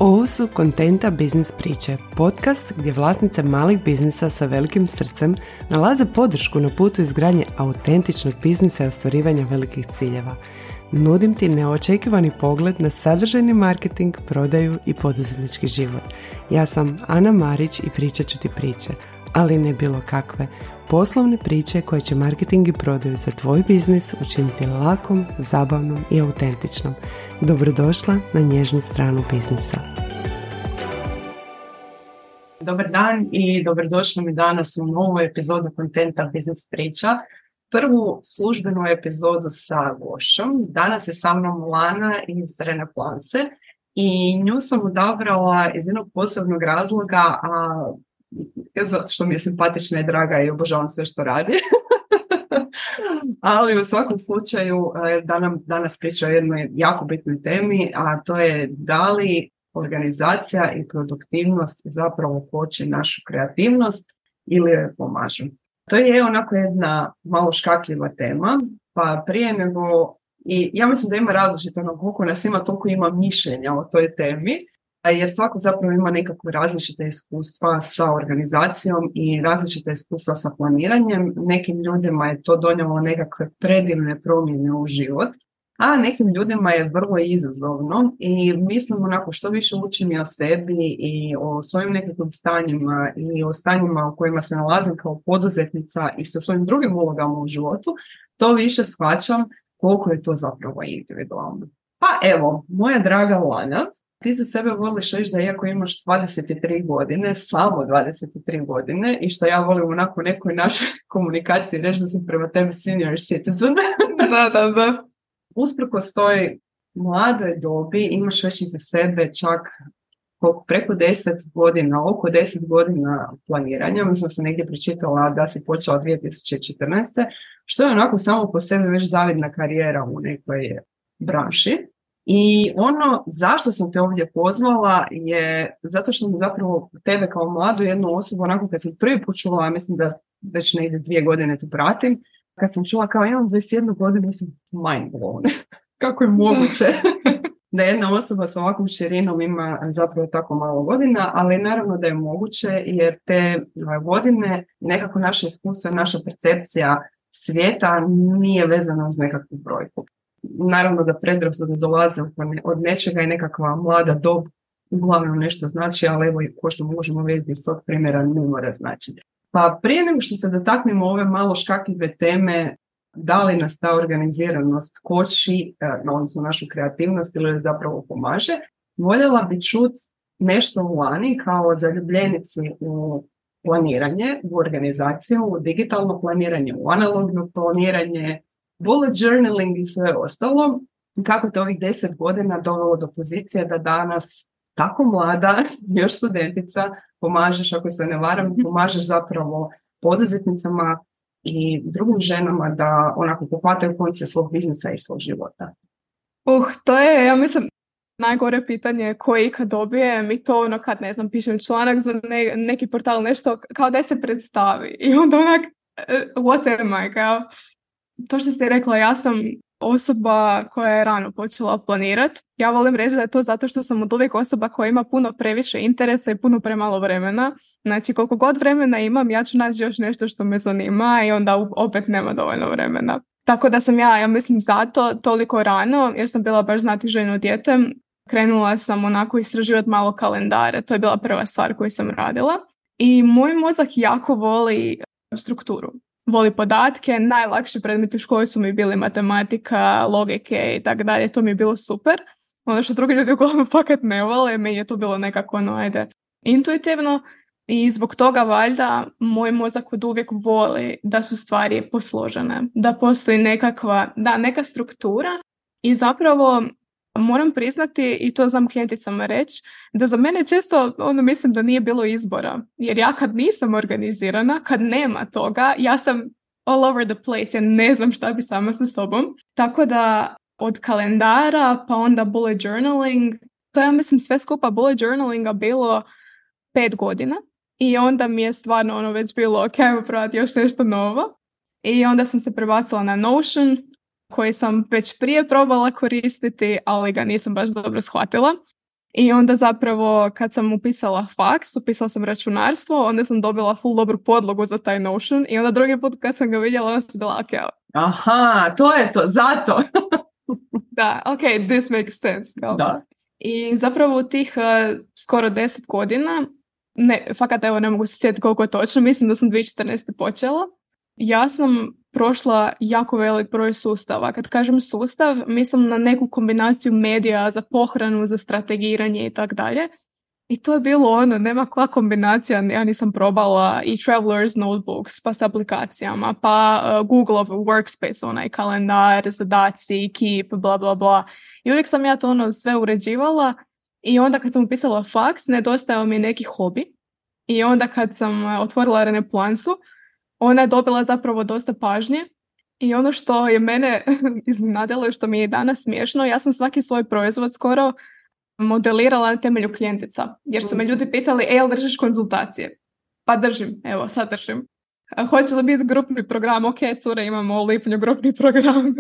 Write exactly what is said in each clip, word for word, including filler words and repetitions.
Ovo su Kontenta biznis priče, podcast gdje vlasnice malih biznisa sa velikim srcem nalaze podršku na putu izgradnje autentičnog biznisa i ostvarivanja velikih ciljeva. Nudim ti neočekivani pogled na sadržajni marketing, prodaju i poduzetnički život. Ja sam Ana Marić i pričat ću ti priče, ali ne bilo kakve. Poslovne priče koje će marketing i prodaju za tvoj biznis učiniti lakom, zabavnom i autentičnom. Dobrodošla na nježnu stranu biznisa. Dobar dan i dobrodošli mi danas u novu epizodu Kontenta biznis priča. Prvu službenu epizodu sa gošćom. Danas je sa mnom Lana iz Renaplanse i nju sam odabrala iz jednog posebnog razloga, a zato što mi je simpatična i draga i obožavam sve što radi. Ali u svakom slučaju da nam danas priča o jednoj jako bitnoj temi, a to je da li organizacija i produktivnost zapravo koče našu kreativnost ili joj pomažu. To je onako jedna malo škakljiva tema, pa prije nego, i ja mislim da ima različito, ono, koliko nas ima, toliko ima mišljenja o toj temi, jer svako zapravo ima nekakve različite iskustva sa organizacijom i različite iskustva sa planiranjem. Nekim ljudima je to donijelo nekakve predivne promjene u život, a nekim ljudima je vrlo izazovno i mislim onako što više učim i o sebi i o svojim nekakvim stanjima i o stanjima u kojima se nalazim kao poduzetnica i sa svojim drugim ulogama u životu, to više shvaćam koliko je to zapravo individualno. Pa evo, moja draga Lana, ti za sebe voliš reći da iako imaš dvadeset tri godine, samo dvadeset tri godine, i što ja volim onako u nekoj našoj komunikaciji reći da sam prema tebi senior citizen. Da, da, da. Usprkos toj mladoj dobi imaš već iza sebe čak preko deset godina, oko deset godina planiranja. Mislim da sam negdje pročitala da si počela dvije tisuće četrnaeste. Što je onako samo po sebi već zavidna karijera u nekoj branši. I ono zašto sam te ovdje pozvala je zato što mi zapravo tebe kao mladu jednu osobu, onako kad sam prvi put čula, mislim da već negdje dvije godine te pratim, kad sam čula kao imam dvadeset jednu godinu, sam mind blown. Kako je moguće da jedna osoba sa ovakvom širinom ima zapravo tako malo godina, ali naravno da je moguće jer te godine, nekako naše iskustvo i naša percepcija svijeta nije vezana uz nekakvu brojku. Naravno da predrasude dolaze od nečega i nekakva mlada dob uglavnom nešto znači, ali evo ko što možemo vidjeti iz tog primjera ne mora značiti. Pa prije nego što se dotaknemo ove malo škakljive teme, da li nas ta organiziranost koči, odnosno našu kreativnost ili zapravo pomaže, voljela bi čuti nešto u Lani kao zaljubljenici u planiranje, u organizaciju, u digitalno planiranje, u analogno planiranje, bullet journaling i sve ostalo. Kako te ovih deset godina dovelo do pozicije da danas tako mlada, još studentica, pomažeš, ako se ne varam, pomažeš zapravo poduzetnicama i drugim ženama da onako pohvataju konce svog biznisa i svog života. Uh, to je, ja mislim, najgore pitanje koje ikad dobijem i to ono kad, ne znam, pišem članak za ne, neki portal, nešto kao da se predstavi i onda onak, what am I, kao, to što ste rekla, ja sam osoba koja je rano počela planirati. Ja volim reći da je to zato što sam od uvijek osoba koja ima puno previše interesa i puno premalo vremena. Znači koliko god vremena imam, ja ću naći još nešto što me zanima i onda opet nema dovoljno vremena. Tako da sam ja, ja mislim zato toliko rano, jer sam bila baš znatiželjno dijete, krenula sam onako istraživati malo kalendare. To je bila prva stvar koju sam radila. I moj mozak jako voli strukturu. Voli podatke, najlakši predmeti u školi su mi bili matematika, logike i tako dalje, to mi je bilo super. Ono što drugi ljudi uglavnom fakat ne vole, meni je to bilo nekako ono, ajde, intuitivno i zbog toga valjda moj mozak od uvijek voli da su stvari posložene, da postoji nekakva, da, neka struktura i zapravo moram priznati, i to znam klijenticama reći, da za mene često ono mislim da nije bilo izbora. Jer ja kad nisam organizirana, kad nema toga, ja sam all over the place, ja ne znam šta bi sama sa sobom. Tako da od kalendara pa onda bullet journaling, to ja mislim sve skupa bullet journalinga bilo pet godina. I onda mi je stvarno ono već bilo ok, ajmo probati još nešto novo. I onda sam se prebacila na Notion, koji sam već prije probala koristiti, ali ga nisam baš dobro shvatila. I onda zapravo kad sam upisala faks, upisala sam računarstvo, onda sam dobila full dobru podlogu za taj Notion i onda drugi put kad sam ga vidjela, onda sam bila ok. Aha, to je to, zato. Da, ok, this makes sense. Kao. Da. I zapravo u tih uh, skoro deset godina, ne, fakat evo ne mogu se sjetiti koliko je točno, mislim da sam dvije tisuće četrnaeste počela, ja sam prošla jako velik broj sustava. Kad kažem sustav, mislim na neku kombinaciju medija za pohranu, za strategiranje i tak dalje. I to je bilo ono, nema koja kombinacija, ja nisam probala i Traveler's Notebooks, pa s aplikacijama, pa uh, Googleov Workspace, onaj kalendar, zadaci, Keep, bla bla bla. I uvijek sam ja to ono sve uređivala i onda kad sam upisala faks, nedostajao mi neki hobi. I onda kad sam otvorila Reneplansu, ona je dobila zapravo dosta pažnje i ono što je mene iznenadilo i što mi je danas smiješno, ja sam svaki svoj proizvod skoro modelirala na temelju klijentica, jer su me ljudi pitali, e, jel držiš konzultacije? Pa držim, evo, sad držim. A hoće li biti grupni program? Ok, cure, imamo u lipnju grupni program.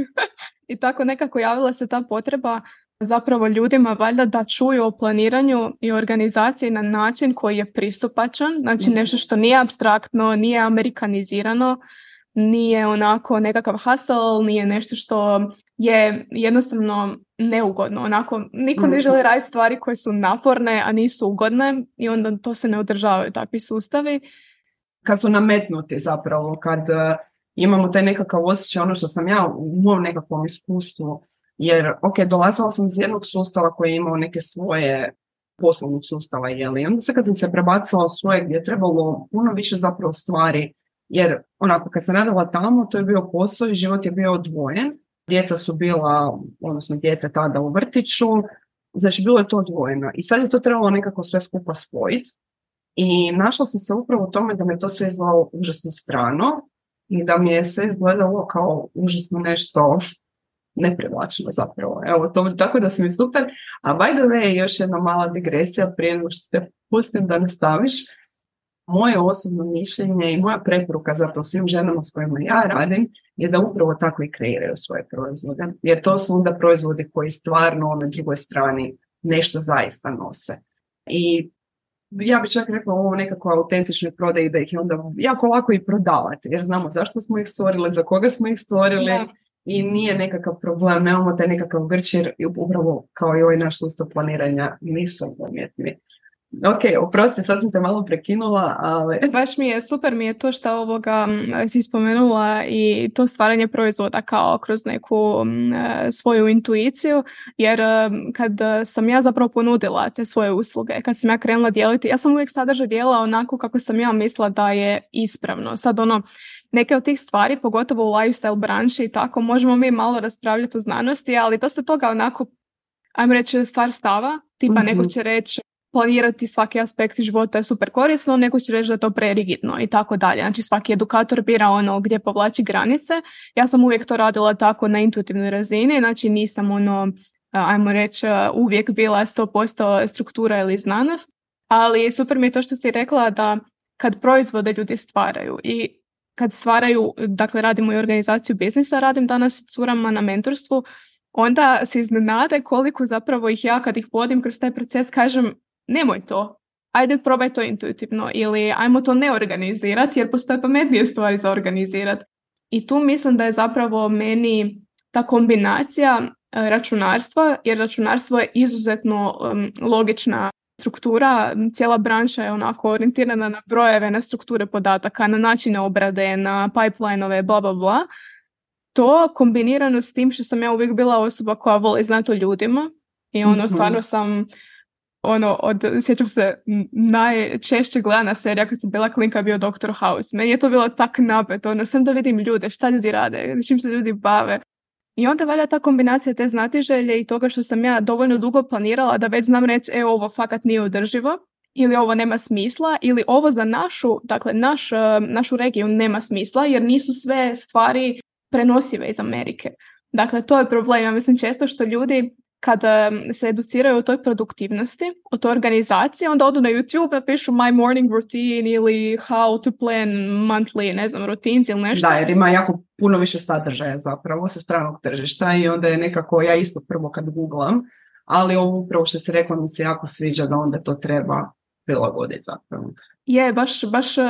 I tako nekako javila se ta potreba zapravo ljudima valjda da čuju o planiranju i organizaciji na način koji je pristupačan, znači nešto što nije apstraktno, nije amerikanizirano, nije onako nekakav hustle, nije nešto što je jednostavno neugodno. Onako, niko ne želi raditi stvari koje su naporne, a nisu ugodne i onda to se ne održavaju takvi sustavi. Kad su nametnuti zapravo, kad uh, imamo taj nekakav osjećaj, ono što sam ja u mom nekakvom iskustvu, jer, ok, dolazila sam iz jednog sustava koji je imao neke svoje poslovnog sustava, jeli? Onda se kad sam se prebacila u svoje gdje je trebalo puno više zapravo stvari, jer onako kad sam radila tamo, to je bio posao i život je bio odvojen. Djeca su bila, odnosno dijete tada u vrtiću, znači bilo je to odvojeno. I sad je to trebalo nekako sve skupa spojiti. I našla sam se upravo u tome da me to sve izgledalo užasno strano i da mi je sve izgledalo kao užasno nešto neprivlačeno zapravo. Evo, to, tako da si mi super. A by the way, još jedna mala digresija prije nego što te pustim da nastaviš. Moje osobno mišljenje i moja preporuka zapravo svim ženama s kojima ja radim je da upravo tako i kreiraju svoje proizvode. Jer to su onda proizvodi koji stvarno na drugoj strani nešto zaista nose. I ja bih čak rekla ovo nekako autentičnoj prodaji da ih je onda jako lako i prodavati. Jer znamo zašto smo ih stvorili, za koga smo ih stvorili. Da. I nije nekakav problem, nemamo taj nekakav grč jer upravo kao i ovaj naš sustav planiranja nisu umjetni. Ok, oprosti, sad sam te malo prekinula, ali... Baš mi je, super mi je to što ovoga si spomenula i to stvaranje proizvoda kao kroz neku m, svoju intuiciju, jer kad sam ja zapravo ponudila te svoje usluge, kad sam ja krenula dijeliti, ja sam uvijek sadržaj dijelila onako kako sam ja mislila da je ispravno. Sad ono, neke od tih stvari, pogotovo u lifestyle branši i tako, možemo mi malo raspravljati u znanosti, ali dosta toga onako, ajmo reći, stvar stava, tipa mm-hmm. neko će reći planirati svaki aspekt života je super korisno, neko će reći da je to prerigidno i tako dalje. Znači svaki edukator bira ono gdje povlači granice. Ja sam uvijek to radila tako na intuitivnoj razini, znači nisam ono, ajmo reći, uvijek bila sto posto struktura ili znanost, ali super mi je to što si rekla da kad proizvode ljudi stvaraju i kad stvaraju, dakle radimo i organizaciju biznisa, radim danas s curama na mentorstvu, onda se iznenade koliko zapravo ih ja kad ih vodim kroz taj proces kažem nemoj to, ajde probaj to intuitivno ili ajmo to ne organizirati jer postoje pametnije stvari za organizirati. I tu mislim da je zapravo meni ta kombinacija računarstva, jer računarstvo je izuzetno um, logična struktura, cijela branša je onako orijentirana na brojeve, na strukture podataka, na načine obrade, na pipeline-ove, bla bla bla. To kombinirano s tim što sam ja uvijek bila osoba koja voli znati o ljudima i ono, mm-hmm. stvarno sam ono, od, sjećam se, najčešće gledana serija kad sam bila klinka bio doktor House. Meni je to bilo tak napet, ono, sam da vidim ljude, šta ljudi rade, čim se ljudi bave. I onda valja ta kombinacija te znatiželje i toga što sam ja dovoljno dugo planirala da već znam reći, e, ovo fakat nije održivo, ili ovo nema smisla, ili ovo za našu, dakle, naš, našu regiju nema smisla, jer nisu sve stvari prenosive iz Amerike. Dakle, to je problem. Ja mislim često što ljudi kada se educiraju o toj produktivnosti, o toj organizaciji, onda odu na YouTube, napišu my morning routine ili how to plan monthly, ne znam, routines ili nešto. Da, jer ima jako puno više sadržaja zapravo sa stranog tržišta i onda je nekako, ja isto prvo kad googlam, ali ovo upravo što si rekla mi se jako sviđa da onda to treba prilagoditi zapravo. Je, baš, baš um,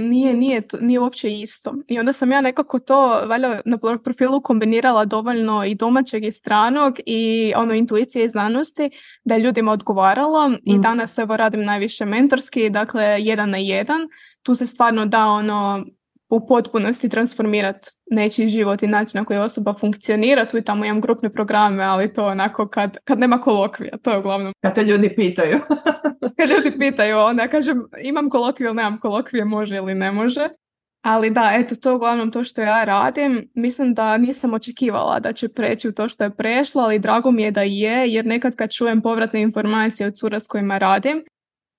nije, nije, nije uopće isto. I onda sam ja nekako to valjda na profilu kombinirala dovoljno i domaćeg i stranog i ono intuicije i znanosti da je ljudima odgovaralo mm. i danas evo radim najviše mentorski, dakle jedan na jedan. Tu se stvarno da ono u potpunosti transformirati nečiji život i način na koji osoba funkcionira. Tu i tamo imam grupne programe, ali to onako kad, kad nema kolokvija, to je uglavnom. Kad te ljudi pitaju. Kad ljudi pitaju, onda ja kažem imam kolokviju ili nemam kolokvije, može ili ne može. Ali da, eto, to je uglavnom to što ja radim. Mislim da nisam očekivala da će preći u to što je prešlo, ali drago mi je da je, jer nekad kad čujem povratne informacije od cura s kojima radim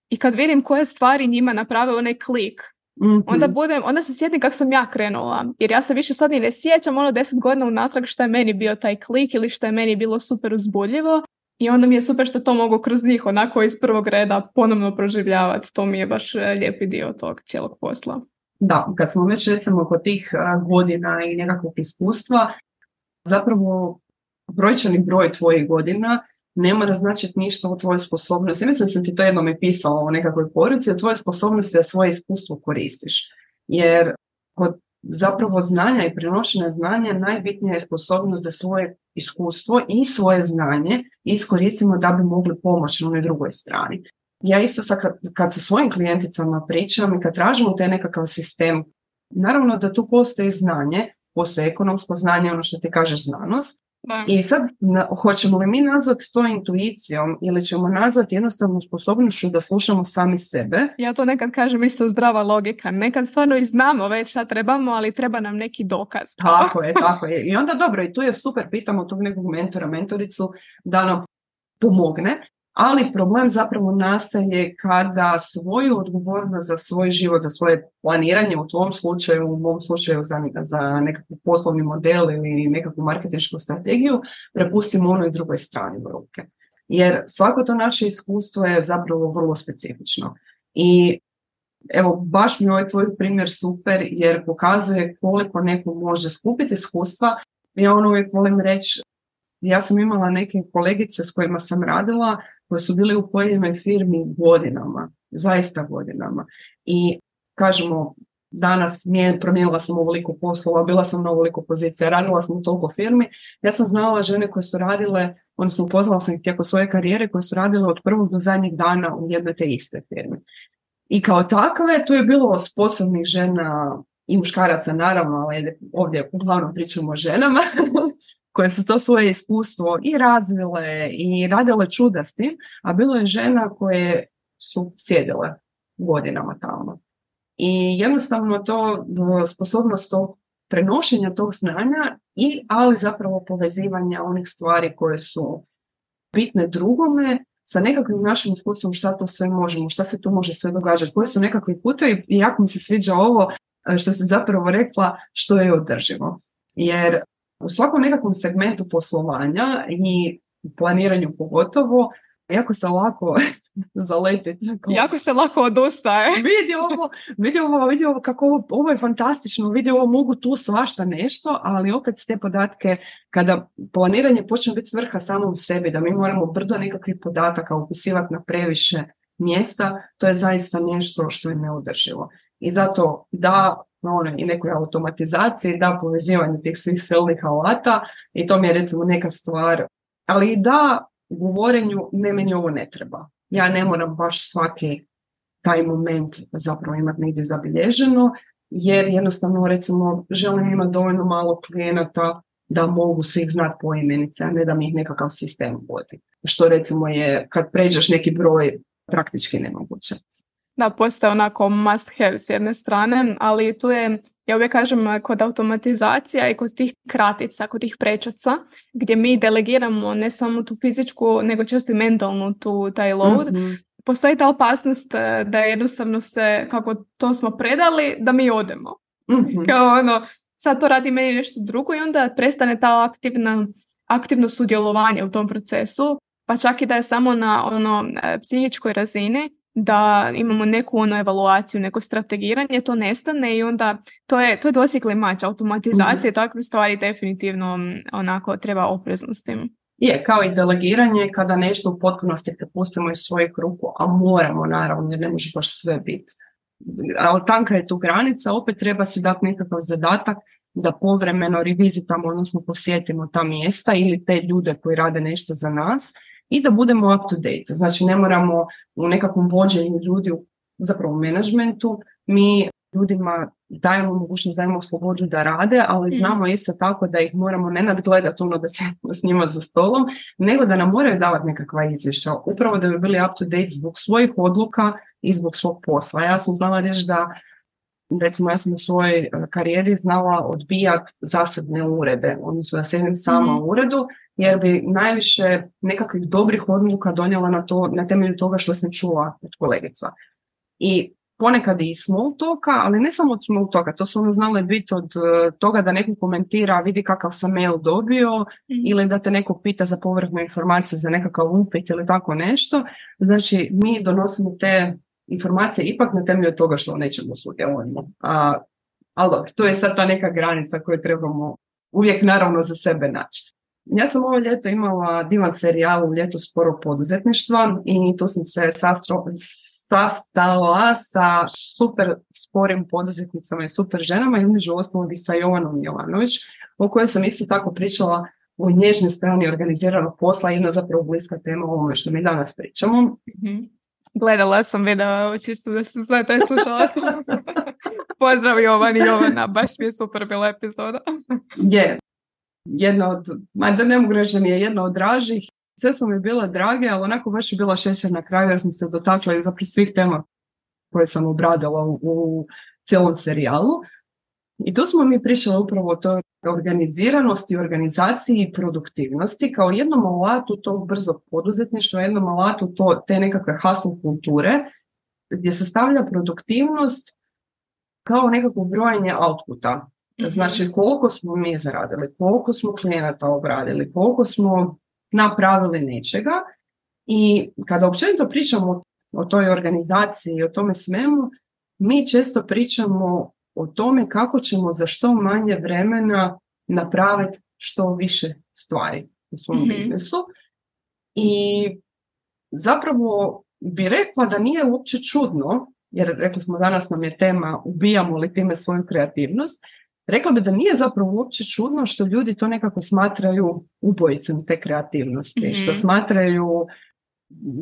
i kad vidim koje stvari njima naprave onaj klik, mm-hmm. onda, budem, onda se sjetim kako sam ja krenula. Jer ja se više sad ni ne sjećam ono deset godina unatrag što je meni bio taj klik ili što je meni bilo super uzbudljivo. I onda mi je super što to mogu kroz njih onako iz prvog reda ponovno proživljavati. To mi je baš lijepi dio tog cijelog posla. Da, kad smo već recimo kod tih godina i nekakvog iskustva, zapravo brojčani broj tvojih godina ne mora značiti ništa o tvojoj sposobnosti. Mislim da sam ti to jednom je pisala o nekakvoj poruci, o tvojoj sposobnosti da svoje iskustvo koristiš. Jer kod zapravo znanja i prenošenja znanja najbitnija je sposobnost da svoje iskustvo i svoje znanje iskoristimo da bi mogli pomoći na onoj drugoj strani. Ja isto sad kad, kad sa svojim klijenticama pričam i kad tražimo taj nekakav sistem, naravno da tu postoji znanje, postoji ekonomsko znanje, ono što ti kažeš znanost. Da. I sad na, hoćemo li mi nazvati to intuicijom ili ćemo nazvati jednostavno sposobnošću da slušamo sami sebe? Ja to nekad kažem isto zdrava logika. Nekad stvarno i znamo već šta trebamo, ali treba nam neki dokaz. Tako je, tako je. I onda dobro, i tu je super, pitamo tog nekog mentora, mentoricu da nam pomogne. Ali problem zapravo nastaje kada svoju odgovornost za svoj život, za svoje planiranje, u tvom slučaju, u mom slučaju za, za nekakav poslovni model ili nekakvu marketinšku strategiju, prepustimo onoj drugoj strani u ruke. Jer svako to naše iskustvo je zapravo vrlo specifično. I evo, baš mi ovaj tvoj primjer super jer pokazuje koliko neko može skupiti iskustva. Ja ono uvijek volim reći, ja sam imala neke kolegice s kojima sam radila koje su bile u pojedinoj firmi godinama, zaista godinama. I kažemo, danas promijenila sam ovoliko poslova, bila sam na ovoliko pozicija, radila sam u toliko firmi. Ja sam znala žene koje su radile, odnosno upoznala sam ih tijekom svoje karijere, koje su radile od prvog do zadnjeg dana u jednoj te iste firmi. I kao takve, tu je bilo sposobnih žena i muškaraca naravno, ali ovdje uglavnom pričamo o ženama, koje su to svoje iskustvo i razvile i radile čuda s tim, a bilo je žena koje su sjedile godinama tamo. I jednostavno to sposobnost tog prenošenja tog znanja i ali zapravo povezivanja onih stvari koje su bitne drugome sa nekakvim našim iskustvom šta to sve možemo, šta se tu može sve događati, koji su nekakvi putevi i jako mi se sviđa ovo što si zapravo rekla što je održivo. Jer u svakom nekakvom segmentu poslovanja i planiranju pogotovo, jako se lako zaletiti. Jako se lako odustaje. Vidi ovo, vidi ovo, vidi ovo kako ovo, ovo je fantastično, vidi ovo mogu tu svašta nešto, ali opet te podatke, kada planiranje počne biti svrha samom sebi, da mi moramo brdo nekakvih podataka upisivati na previše mjesta, to je zaista nešto što je neodrživo. I zato da ono, i nekoj automatizaciji, da povezivanje tih svih silnih alata i to mi je recimo neka stvar, ali i da govorenju ne, meni ovo ne treba. Ja ne moram baš svaki taj moment zapravo imati negdje zabilježeno, jer jednostavno recimo želim imati dovoljno malo klijenata da mogu svih znati po imenice, a ne da mi ih nekakav sistem vodi. Što recimo je kad pređeš neki broj praktički nemoguće. Da, postaje onako must have s jedne strane, ali tu je, ja uvijek kažem, kod automatizacija i kod tih kratica, kod tih prečaca, gdje mi delegiramo ne samo tu fizičku, nego često i mentalnu tu, taj load, mm-hmm. postoji ta opasnost da jednostavno se, kako to smo predali, da mi odemo. Mm-hmm. Kao ono, sad to radi meni nešto drugo i onda prestane ta aktivna, aktivno sudjelovanje u tom procesu, pa čak i da je samo na ono psihičkoj razini, da imamo neku ono evaluaciju, neko strategiranje, to nestane i onda to je, to je dvosjekli mač, automatizacije, mm-hmm. takve stvari definitivno onako treba oprezno s tim. Je, kao i delegiranje kada nešto u potpunosti prepustimo iz svojih ruku, a moramo naravno jer ne može baš sve biti. Ali tanka je tu granica, opet treba si dati nekakav zadatak da povremeno revizitamo, odnosno posjetimo ta mjesta ili te ljude koji rade nešto za nas i da budemo up to date. Znači ne moramo u nekakvom vođenju ljudi, zapravo u menadžmentu, mi ljudima dajemo mogućnost, dajemo slobodu da rade, ali znamo isto tako da ih moramo ne nadgledati ono da sjedimo s njima za stolom, nego da nam moraju davati nekakva izvješća, upravo da bi bili up to date zbog svojih odluka i zbog svog posla. Ja sam znala reći da, recimo ja sam u svojoj karijeri znala odbijati zasebne urede, odnosno da sjedim sama u uredu, jer bi najviše nekakvih dobrih odluka donijela na, to, na temelju toga što sam čula od kolegica. I ponekad i small talka, ali ne samo od small talka, to su ono znale biti od uh, toga da neko komentira, vidi kakav sam mail dobio, mm. ili da te neko pita za povratnu informaciju za nekakav upit ili tako nešto. Znači, mi donosimo te informacije ipak na temelju toga što nećemo sudjelujemo. A, ali dobro, to je sad ta neka granica koju trebamo uvijek naravno za sebe naći. Ja sam ovo ljeto imala divan serijal u ljetu sporog poduzetništva i tu sam se sastro, sastala sa super sporim poduzetnicama i super ženama, između ostalog i sa Jovanom Jovanović, o kojoj sam isto tako pričala o nježnoj strani organiziranog posla, jedna zapravo bliska tema o ovome što mi danas pričamo. Mm-hmm. Gledala sam video, čisto da se sve to je slušala sam. Pozdrav Jovan i Jovana, baš mi je super bila epizoda. Je, jedna od, da ne mogu reći da mi je jedna od dražih, sve su mi bile drage, ali onako baš je bila šećer na kraju jer sam se dotakla i zapravo svih tema koje sam obradila u, u cijelom serijalu. I tu smo mi pričali upravo o toj organiziranosti, organizaciji i produktivnosti kao jednom alatu tog brzog poduzetništva, jednom alatu to, te nekakve hustle kulture gdje se stavlja produktivnost kao nekako brojanje outputa. Znači koliko smo mi zaradili, koliko smo klijenata obradili, koliko smo napravili nečega i kada općenito pričamo o toj organizaciji i o tome svemu, mi često pričamo o tome kako ćemo za što manje vremena napraviti što više stvari u svom mm-hmm. biznisu. I zapravo bi rekla da nije uopće čudno, jer rekli smo danas nam je tema ubijamo li time svoju kreativnost, rekla bi da nije zapravo uopće čudno što ljudi to nekako smatraju ubojicom te kreativnosti, mm-hmm. što smatraju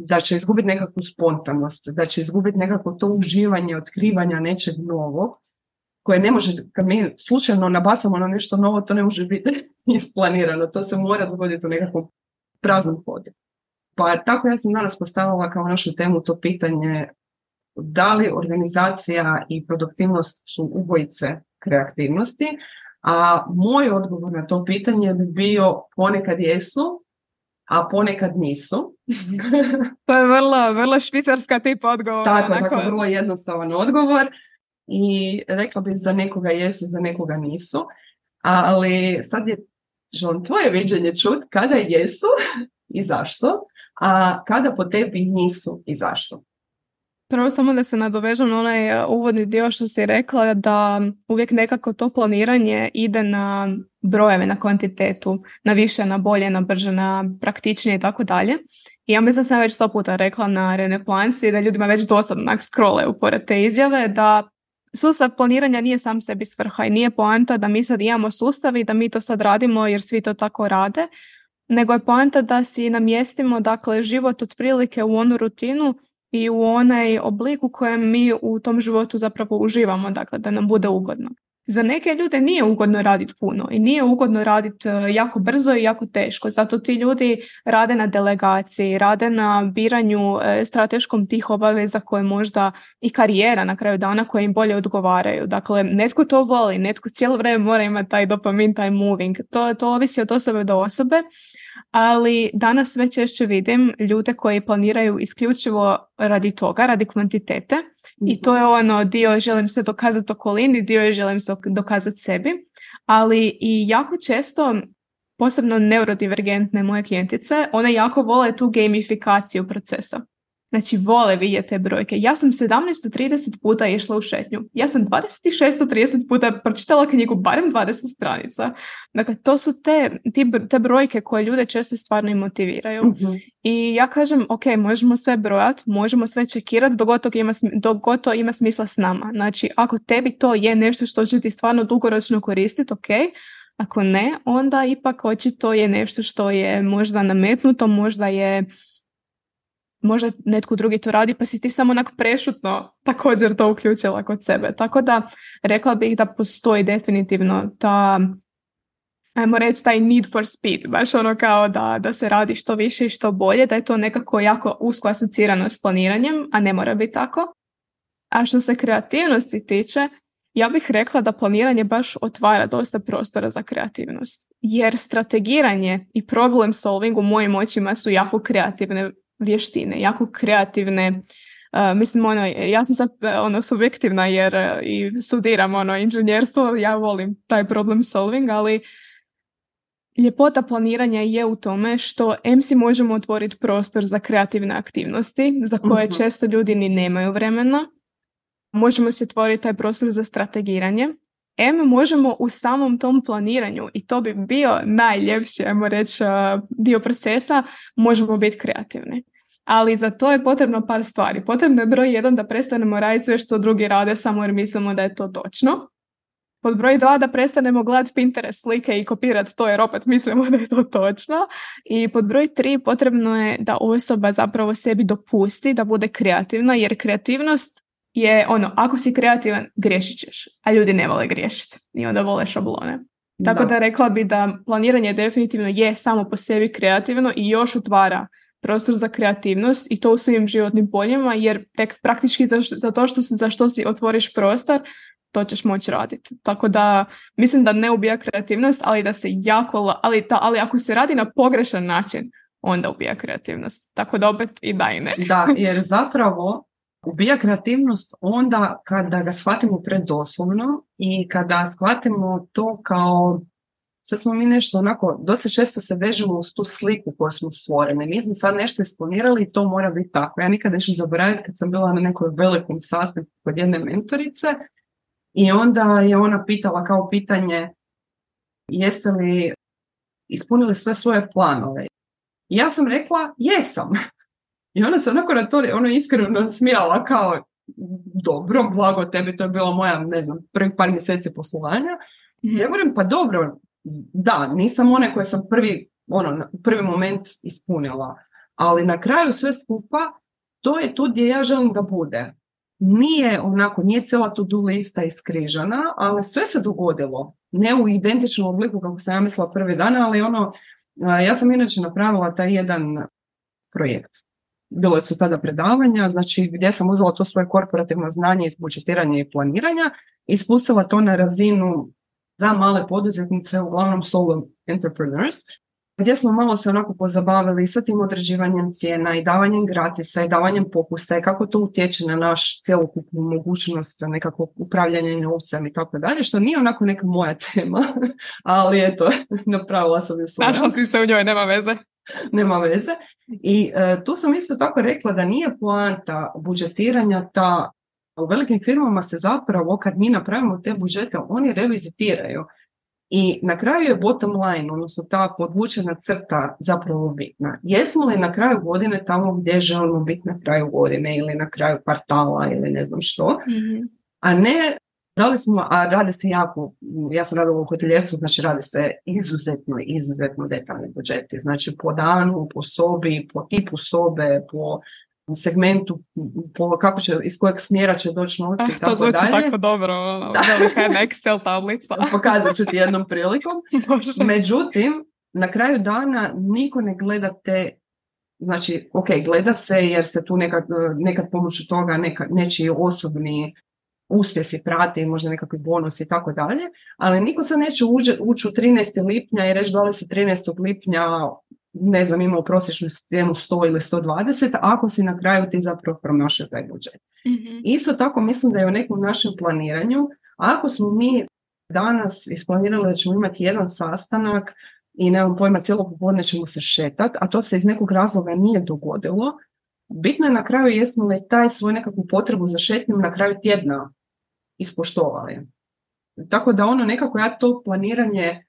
da će izgubiti nekakvu spontanost, da će izgubiti nekako to uživanje, otkrivanja nečeg novog, koje ne može, kad mi slučajno nabasamo na nešto novo, to ne može biti isplanirano, to se mora dogoditi u nekakvom praznom hodu. Pa tako ja sam danas postavila kao našu temu to pitanje da li organizacija i produktivnost su ubojice kreativnosti, a moj odgovor na to pitanje bi bio ponekad jesu, a ponekad nisu. To je vrlo, vrlo švicarska tip odgovor. Tako, tako, vrlo jednostavan odgovor i rekla bih za nekoga jesu, za nekoga nisu, ali sad je želim tvoje viđenje čut kada jesu i zašto, a kada po tebi nisu i zašto. Prvo samo da se nadovežem na onaj uvodni dio što si rekla da uvijek nekako to planiranje ide na brojeve, na kvantitetu, na više, na bolje, na brže, na praktičnije i tako dalje. I ja mislim da sam već sto puta rekla na Reneplansi da ljudima već dosadno onak scrollaju pored te izjave da sustav planiranja nije sam sebi svrha i nije poanta da mi sad imamo sustav i da mi to sad radimo jer svi to tako rade, nego je poanta da si namjestimo dakle život otprilike u onu rutinu i u onaj oblik u kojem mi u tom životu zapravo uživamo, dakle da nam bude ugodno. Za neke ljude nije ugodno raditi puno i nije ugodno raditi jako brzo i jako teško. Zato ti ljudi rade na delegaciji, rade na biranju strateškom tih obaveza koje možda i karijera na kraju dana koje im bolje odgovaraju. Dakle, netko to voli, netko cijelo vrijeme mora imati taj dopamin, taj moving. To, to ovisi od osobe do osobe. Ali danas sve češće vidim ljude koji planiraju isključivo radi toga, radi kvantitete i to je ono dio želim se dokazati okolini, dio je želim se dokazati sebi, ali i jako često, posebno neurodivergentne moje klijentice, one jako vole tu gamifikaciju procesa. Znači, vole vidjeti te brojke. Ja sam sedamnaest trideset puta išla u šetnju. Ja sam dvadeset šest trideset puta pročitala knjigu, barem dvadeset stranica. Dakle, to su te, ti, te brojke koje ljude često stvarno i motiviraju. Mm-hmm. I ja kažem, ok, možemo sve brojati, možemo sve čekirati dok god to ima, dok god to ima smisla s nama. Znači, ako tebi to je nešto što će ti stvarno dugoročno koristiti, ok. Ako ne, onda ipak očito je nešto što je možda nametnuto, možda je možda netko drugi to radi, pa si ti samo onako prešutno također to uključila kod sebe. Tako da rekla bih da postoji definitivno ta, ajmo reći, taj need for speed, baš ono kao da, da se radi što više i što bolje, da je to nekako jako usko asocirano s planiranjem, a ne mora biti tako. A što se kreativnosti tiče, ja bih rekla da planiranje baš otvara dosta prostora za kreativnost. Jer strategiranje i problem solving u mojim očima su jako kreativne vještine, jako kreativne. Uh, mislim, ono, ja sam sad ono, subjektivna jer uh, i studiram ono, inženjerstvo, ja volim taj problem solving, ali ljepota planiranja je u tome što em si možemo otvoriti prostor za kreativne aktivnosti, za koje uh-huh. često ljudi ni nemaju vremena. Možemo se otvoriti taj prostor za strategiranje. Em, možemo u samom tom planiranju, i to bi bio najljepši, ajmo reći, dio procesa, možemo biti kreativni. Ali za to je potrebno par stvari. Potrebno je broj jedan da prestanemo raditi sve što drugi rade samo jer mislimo da je to točno. Pod broj dva da prestanemo gledati Pinterest slike i kopirati to jer opet mislimo da je to točno. I pod broj tri potrebno je da osoba zapravo sebi dopusti da bude kreativna, jer kreativnost je ono, ako si kreativan, griješit ćeš, a ljudi ne vole griješiti i onda vole šablone. Tako da, da rekla bi da planiranje definitivno je samo po sebi kreativno i još otvara prostor za kreativnost i to u svim životnim poljima, jer praktički za, za to što si, za što si otvoriš prostor, to ćeš moći raditi. Tako da mislim da ne ubija kreativnost, ali da se jako, ali, ta, ali ako se radi na pogrešan način, onda ubija kreativnost. Tako da opet i da i ne. Da, jer zapravo ubija kreativnost onda kada ga shvatimo predoslovno i kada shvatimo to kao, sad smo mi nešto onako, dosta često se vežemo uz tu sliku koju smo stvorili. Mi smo sad nešto isplanirali i to mora biti tako. Ja nikad neću zaboraviti kad sam bila na nekoj velikom sastanku kod jedne mentorice i onda je ona pitala kao pitanje jeste li ispunili sve svoje planove. I ja sam rekla jesam. I ona se onako na to ono iskreno smijala kao dobro, blago tebi, to je bila moja, ne znam, prvih par mjeseci poslovanja. Mm-hmm. Ja govorim, pa dobro, da, nisam one koje sam prvi, ono, prvi moment ispunila, ali na kraju sve skupa, to je tu gdje ja želim da bude. Nije onako, nije cijela to-do lista iskrižana, ali sve se dogodilo. Ne u identičnom obliku kako sam ja mislila prvi dan, ali ono, ja sam inače napravila taj jedan projekt. Bilo su tada predavanja, znači gdje sam uzela to svoje korporativno znanje iz budžetiranja i planiranja i spustila to na razinu za male poduzetnice, uglavnom solo entrepreneurs, gdje smo malo se onako pozabavili sa tim određivanjem cijena i davanjem gratisa i davanjem popusta i kako to utječe na naš cjelokupnu mogućnost nekakvog upravljanja novcem i tako dalje, što nije onako neka moja tema, ali eto, napravila sam je svoja. Našla si se u njoj, nema veze. Nema veze. I uh, tu sam isto tako rekla da nije poanta budžetiranja ta, u velikim firmama se zapravo kad mi napravimo te budžete, oni revizitiraju. I na kraju je bottom line, odnosno ta podvučena crta zapravo bitna. Jesmo li na kraju godine tamo gdje želimo biti na kraju godine ili na kraju kvartala ili ne znam što, mm-hmm. a ne da li smo, a rade se jako, ja sam radila u hoteljerstvu, znači radi se izuzetno, izuzetno detaljni budžeti, znači po danu, po sobi, po tipu sobe, po segmentu, po kako će, iz kojeg smjera će doći novci i tako dalje. To zvuči dalje. Tako dobro, velika jedna Excel tablica. Pokazat ću ti jednom prilikom. Međutim, na kraju dana niko ne gleda te, znači, ok, gleda se jer se tu nekad, nekad pomoću toga neka, nečiji osobni uspjesi prate i možda nekakvi bonus i tako dalje, ali niko sad neće ući, ući u trinaestog lipnja i reći da li se trinaestog lipnja ne znam, imao prosječnu cijenu sto ili sto dvadeset, ako si na kraju ti zapravo promašio taj budžet. Mm-hmm. Isto tako mislim da je u nekom našem planiranju, ako smo mi danas isplanirali da ćemo imati jedan sastanak i nemam pojma, cijelo popodne ćemo se šetati, a to se iz nekog razloga nije dogodilo, bitno je na kraju jesmo li taj svoj nekakvu potrebu za šetnjom na kraju tjedna ispoštovali. Tako da ono nekako ja to planiranje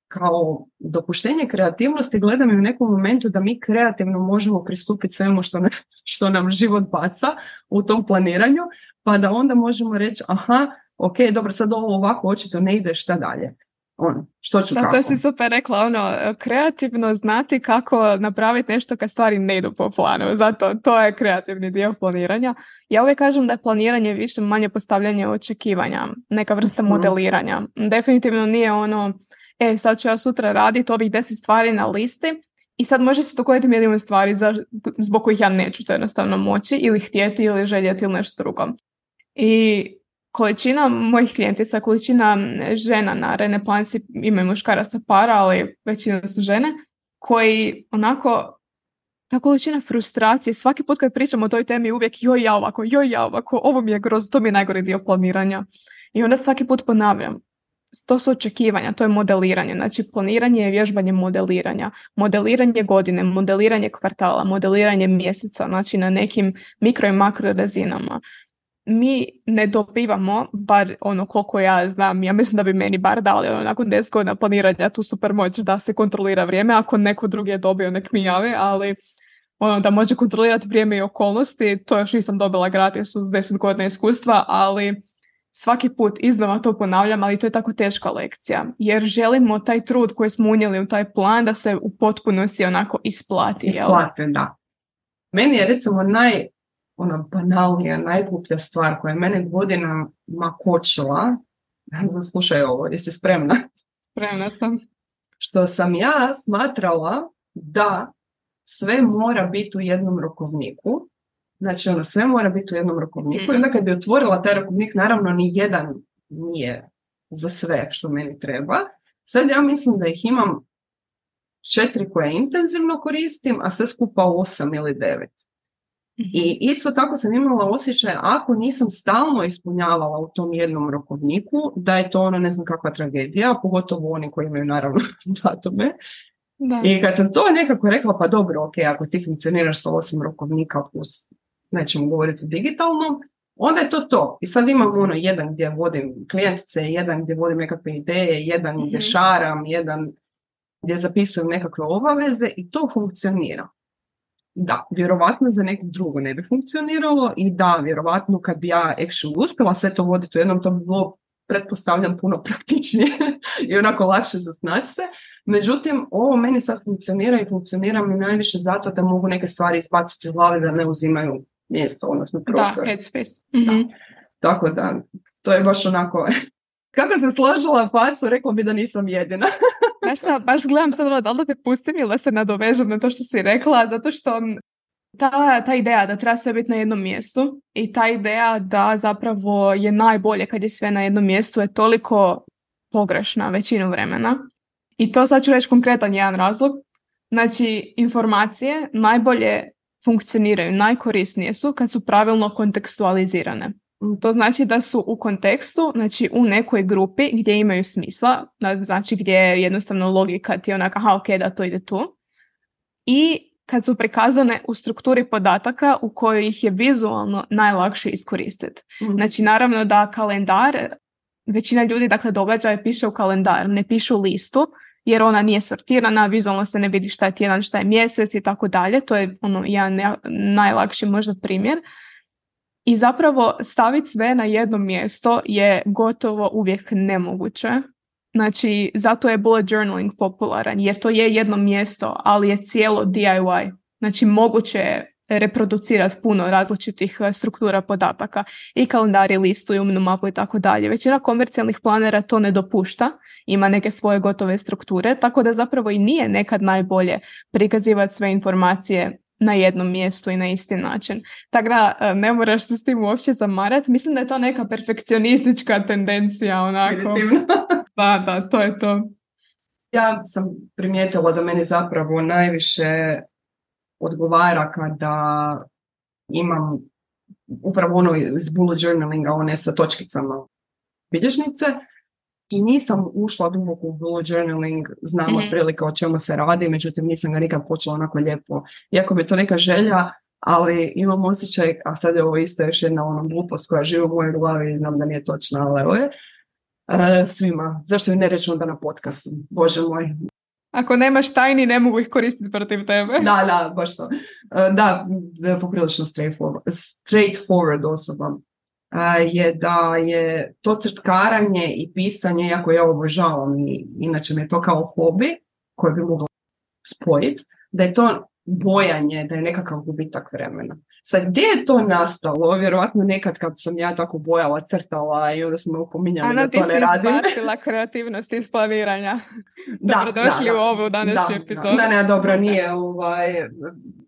kao dopuštenje kreativnosti gledam i u nekom momentu da mi kreativno možemo pristupiti svemu što, ne, što nam život baca u tom planiranju, pa da onda možemo reći aha, ok, dobro, sad ovo ovako očito ne ide, šta dalje? Ono, što ću da, kako? To si super rekla, ono, kreativno znati kako napraviti nešto kad stvari ne idu po planu, zato to je kreativni dio planiranja. Ja uvijek kažem da je planiranje više manje postavljanje očekivanja, neka vrsta mm-hmm. modeliranja. Definitivno nije ono, e, sad ću ja sutra raditi ovih deset stvari na listi i sad može se dogoditi milijun stvari za, zbog kojih ja neću to jednostavno moći ili htjeti ili željeti ili nešto drugo. I količina mojih klijentica, količina žena na Reneplansi, imaju muškaraca para, ali većina su žene, koji onako, ta količina frustracije, svaki put kad pričamo o toj temi uvijek joj ja ovako, joj ja ovako, ovo mi je grozno, to mi je najgori dio planiranja. I onda svaki put ponavljam, to su očekivanja, to je modeliranje. Znači planiranje je vježbanje modeliranja. Modeliranje godine, modeliranje kvartala, modeliranje mjeseca, znači na nekim mikro i makro razinama. Mi ne dobivamo, bar ono koliko ja znam, ja mislim da bi meni bar dali ono, nakon deset godina planiranja tu super moć da se kontrolira vrijeme, ako neko drugi je dobio nek mi javi, ali ono, da može kontrolirati vrijeme i okolnosti, to još nisam dobila gratis uz deset godina iskustva, ali svaki put iznova to ponavljam, ali to je tako teška lekcija, jer želimo taj trud koji smo unijeli u taj plan da se u potpunosti onako isplati. Isplati, jel? Da. Meni je recimo naj ona banalnija, najgluplja stvar koja je mene godinama kočila. Slušaj ovo, jesi spremna? Spremna sam. Što sam ja smatrala da sve mora biti u jednom rokovniku. Znači, ono, sve mora biti u jednom rokovniku. I onda kad bi otvorila taj rokovnik, naravno ni jedan nije za sve što meni treba. Sad ja mislim da ih imam četiri koje intenzivno koristim, a sve skupa osam ili devet. I isto tako sam imala osjećaj, ako nisam stalno ispunjavala u tom jednom rokovniku, da je to ono ne znam kakva tragedija, pogotovo oni koji imaju naravno datume. Da. I kad sam to nekako rekla, pa dobro, ok, ako ti funkcioniraš sa osam rokovnika plus, nećemo govoriti o digitalnom, onda je to to. I sad imam ono jedan gdje vodim klijentice, jedan gdje vodim nekakve ideje, jedan mm-hmm. gdje šaram, jedan gdje zapisujem nekakve obaveze i to funkcionira. Da, vjerovatno za nekog drugo ne bi funkcioniralo i da, vjerovatno kad bi ja actually uspjela sve to voditi u jednom, to bi bilo, pretpostavljam, puno praktičnije i onako lakše zasnaći se. Međutim, ovo meni sad funkcionira i funkcionira mi najviše zato da mogu neke stvari izbaciti iz glave da ne uzimaju mjesto, odnosno prostor. Da, headspace. Mm-hmm. Da. Tako da, to je baš onako... Kako sam složila facu, rekla bi da nisam jedina. Znaš šta, baš gledam sad da li da te pustim ili da se nadovežem na to što si rekla, zato što ta, ta ideja da treba sve biti na jednom mjestu i ta ideja da zapravo je najbolje kad je sve na jednom mjestu je toliko pogrešna većinu vremena. I to sad ću reći konkretan jedan razlog. Znači, informacije najbolje funkcioniraju, najkorisnije su kad su pravilno kontekstualizirane. To znači da su u kontekstu, znači u nekoj grupi gdje imaju smisla, znači gdje je jednostavno logika ti je onaka, aha, ok, da to ide tu. I kad su prikazane u strukturi podataka u kojoj ih je vizualno najlakše iskoristiti. Mm. Znači, naravno da kalendar, većina ljudi, dakle, događaje piše u kalendar, ne piše u listu, jer ona nije sortirana, vizualno se ne vidi šta je tjedan, šta je mjesec i tako dalje. To je ono jedan najlakši možda primjer. I zapravo staviti sve na jedno mjesto je gotovo uvijek nemoguće. Znači, zato je bullet journaling popularan, jer to je jedno mjesto, ali je cijelo D I Y. Znači, moguće je reproducirati puno različitih struktura podataka i kalendar i listu i umnu mapu i tako dalje. Većina komercijalnih planera to ne dopušta, ima neke svoje gotove strukture, tako da zapravo i nije nekad najbolje prikazivati sve informacije na jednom mjestu i na isti način. Tako da ne moraš se s tim uopće zamarati. Mislim da je to neka perfekcionistička tendencija, onako. Da, da, to je to. Ja sam primijetila da meni zapravo najviše odgovara kada imam upravo ono iz bullet journalinga, one sa točkicama bilježnice, I nisam ušla duboko u bullet journaling, znam Mhm. otprilike o čemu se radi, međutim nisam ga nikad počela onako lijepo. Iako mi je to neka želja, ali imam osjećaj, a sad je ovo isto još jedna ona glupost koja živi u mojoj glavi i znam da nije točna, ali evo je. E, svima. Zašto ju ne reći onda na podcastu? Bože moj. Ako nemaš tajni, ne mogu ih koristiti protiv tebe. Da, da, baš to. E, da, da je poprilično straightforward, straightforward osoba. E, je da je to crtkaranje i pisanje, iako ja obožavam i inače mi je to kao hobi koji bi mogla spojiti, da je to bojanje, da je nekakav gubitak vremena. Sad, gdje je to nastalo? Vjerojatno nekad kad sam ja tako bojala, crtala i onda smo me upominjali da to ne radim. Ana, ti si izbacila kreativnost iz planiranja. Da, Dobrodošli da, da. u ovu današnju Da, epizodu. Da, ne, dobro, nije, ovaj,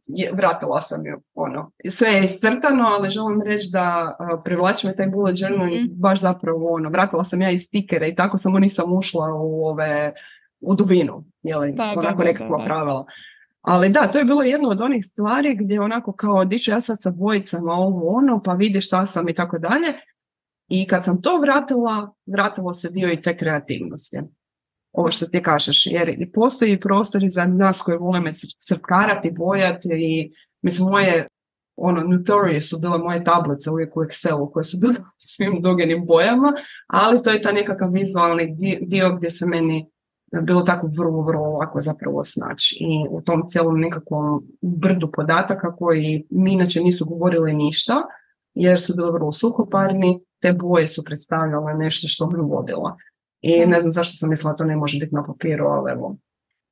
je, vratila sam ju, ono, sve je iscrtano, ali želim reći da uh, privlači me taj bullet journaling Mhm. baš zapravo, ono, vratila sam ja i stikere i tako samo nisam ušla u ove, u dubinu, jeli, Da, da, onako da, nekakva da, da. pravila. Ali da, to je bilo jedno od onih stvari gdje onako kao diću ja sad sa bojicama ovo ono, pa vidi šta sam i tako dalje. I kad sam to vratila, vratilo se dio i te kreativnosti. Ovo što ti kažeš, jer i postoji prostori za nas koji volimo crtkarati, bojati i mislim moje ono, notorije su bile moje tablice uvijek u Excelu koje su bile svim dugenim bojama, ali to je ta nekakav vizualni dio gdje se meni bilo tako vrlo, vrlo lako zapravo snaći. I u tom cijelom nekakvom brdu podataka koji mi inače nisu govorili ništa, jer su bili vrlo suhoparni, te boje su predstavljale nešto što me vodila. I ne znam zašto sam mislila to ne može biti na papiru, ali evo.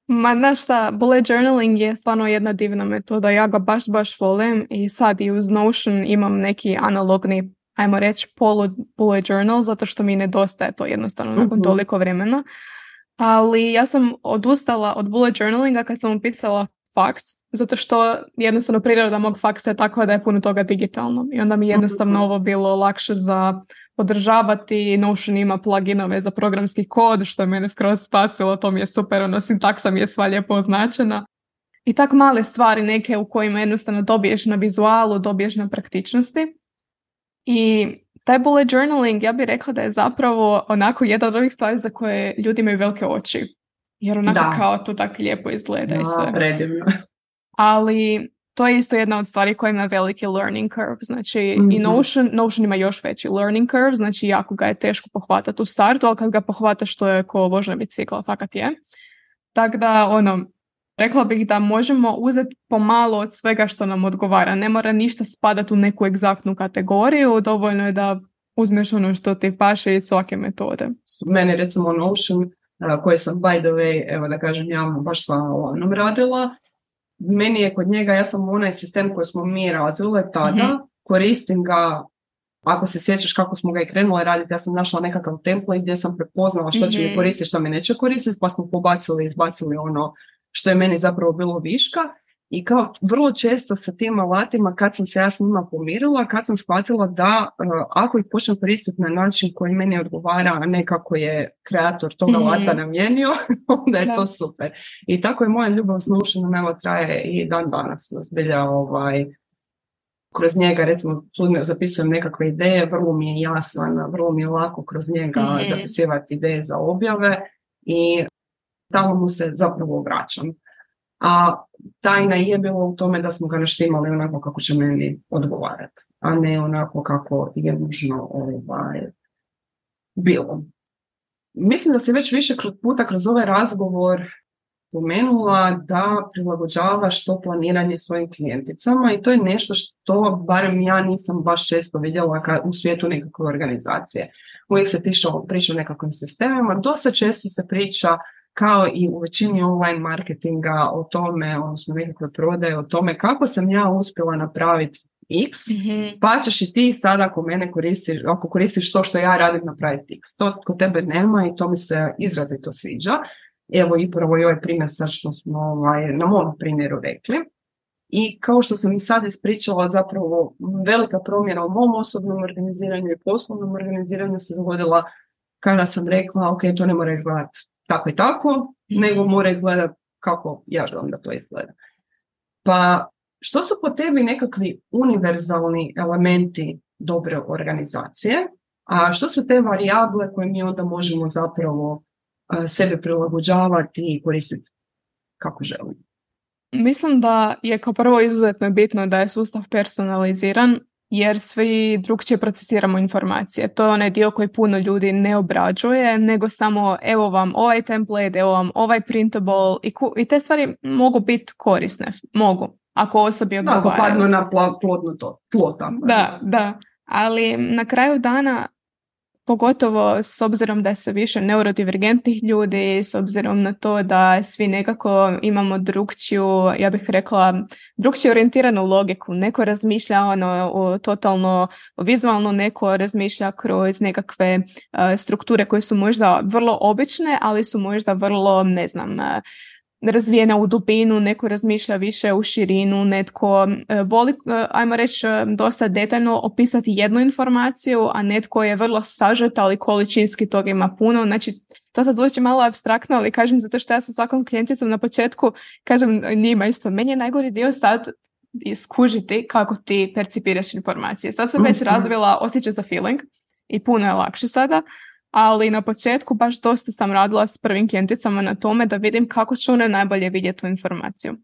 Ma znaš šta, bullet journaling je stvarno jedna divna metoda, ja ga baš baš volim i sad i uz Notion imam neki analogni, ajmo reći, polu bullet journal, zato što mi nedostaje to jednostavno nakon Mhm. toliko vremena. Ali ja sam odustala od bullet journalinga kad sam upisala faks, zato što jednostavno priroda mog faksa je takva da je puno toga digitalno i onda mi jednostavno Mhm. ovo bilo lakše za podržavati. Notion ima pluginove za programski kod, što je mene skroz spasilo, to mi je super, ono, sintaksa mi je sva lijepo označena. I tak male stvari neke u kojima jednostavno dobiješ na vizualu, dobiješ na praktičnosti. I taj bullet journaling, ja bih rekla da je zapravo onako jedan od ovih stvari za koje ljudi imaju velike oči. Jer onako Da. kao to tako lijepo izgleda i Da, sve. predivno. Ali to je isto jedna od stvari koja ima veliki learning curve. Znači Mhm. i Notion, Notion ima još veći learning curve, znači jako ga je teško pohvatati u startu, ali kad ga pohvataš to je ko vožnja bicikla, fakat je. Tako da, ono, rekla bih da možemo uzeti pomalo od svega što nam odgovara. Ne mora ništa spadati u neku egzaktnu kategoriju, dovoljno je da uzmeš ono što ti paše iz svake metode. Meni recimo Notion, uh, koji sam by the way, evo da kažem javno, baš sa onom radila, meni je kod njega, ja sam onaj sistem koji smo mi razvile tada, Mhm. koristim ga, ako se sjećaš kako smo ga i krenule raditi, ja sam našla nekakav template gdje sam prepoznala što će mi Mhm. koristiti, što mi neće koristiti, pa smo pobacili i izbacili ono što je meni zapravo bilo viška. I kao vrlo često sa tim alatima, kad sam se ja s njima pomirila, kad sam shvatila da uh, ako ih počnem koristiti na način koji meni odgovara, a ne kako je kreator tog Mhm. alata namijenio, onda je Da. to super. I tako je moja ljubav s Notionom, evo, traje i dan danas. Zbilja, ovaj, kroz njega, recimo, tu ne- zapisujem nekakve ideje, vrlo mi je jasan, vrlo mi je lako kroz njega Mhm. zapisivati ideje za objave i stalno mu se zapravo vraćam. A tajna je bilo u tome da smo ga naštimali onako kako će meni odgovarati, a ne onako kako je nužno ovaj, bilo. Mislim da se već više kroz puta kroz ovaj razgovor spomenula da prilagođavaš to planiranje svojim klijenticama i to je nešto što barem ja nisam baš često vidjela ka, u svijetu nekakve organizacije. Uvijek se priča, priča o nekakvim sistemima, dosta često se priča kao i u većini online marketinga o tome, odnosno nekakve prodaje, o tome kako sam ja uspjela napraviti X, Mhm. pa ćeš i ti sada ako mene koristiš, ako koristiš to što ja radim napraviti X. To kod tebe nema i to mi se izrazito sviđa. Evo i prvo i ovaj primjer sad što smo ovaj, na mom primjeru rekli. I kao što sam i sad ispričala, zapravo velika promjena u mom osobnom organiziranju i poslovnom organiziranju se dogodila kada sam rekla ok, to ne mora izgledati tako i tako, nego mora izgledati kako ja želim da to izgleda. Pa što su po tebi nekakvi univerzalni elementi dobre organizacije A što su te varijable koje mi onda možemo zapravo sebe prilagođavati i koristiti kako želimo? Mislim da je kao prvo izuzetno bitno da je sustav personaliziran, jer svi drugčije procesiramo informacije. To je onaj dio koji puno ljudi ne obrađuje, nego samo evo vam ovaj template, evo vam ovaj printable i, ku, i te stvari mogu biti korisne. Mogu, ako osobi odgovaraju. Ako padnu na plodno to, tlo tamo. Da, da. Ali na kraju dana, pogotovo s obzirom da je sve više neurodivergentnih ljudi, s obzirom na to da svi nekako imamo drugčiju, ja bih rekla, drugčiju orijentiranu logiku. Neko razmišlja ono, o, totalno vizualno, neko razmišlja kroz nekakve uh, strukture koje su možda vrlo obične, ali su možda vrlo, ne znam, uh, razvijena u dubinu, neko razmišlja više u širinu, netko uh, voli, uh, ajmo reći, uh, dosta detaljno opisati jednu informaciju, a netko je vrlo sažet, ali količinski toga ima puno. Znači, to sad zvuči malo apstraktno, ali kažem zato što ja sa svakom klijenticom na početku kažem njima isto, meni je najgori dio sad iskužiti kako ti percipiraš informacije. Sad sam već razvila osjećaj za feeling i puno je lakše sada, ali na početku baš dosta sam radila s prvim klijenticama na tome da vidim kako će one najbolje vidjeti tu informaciju.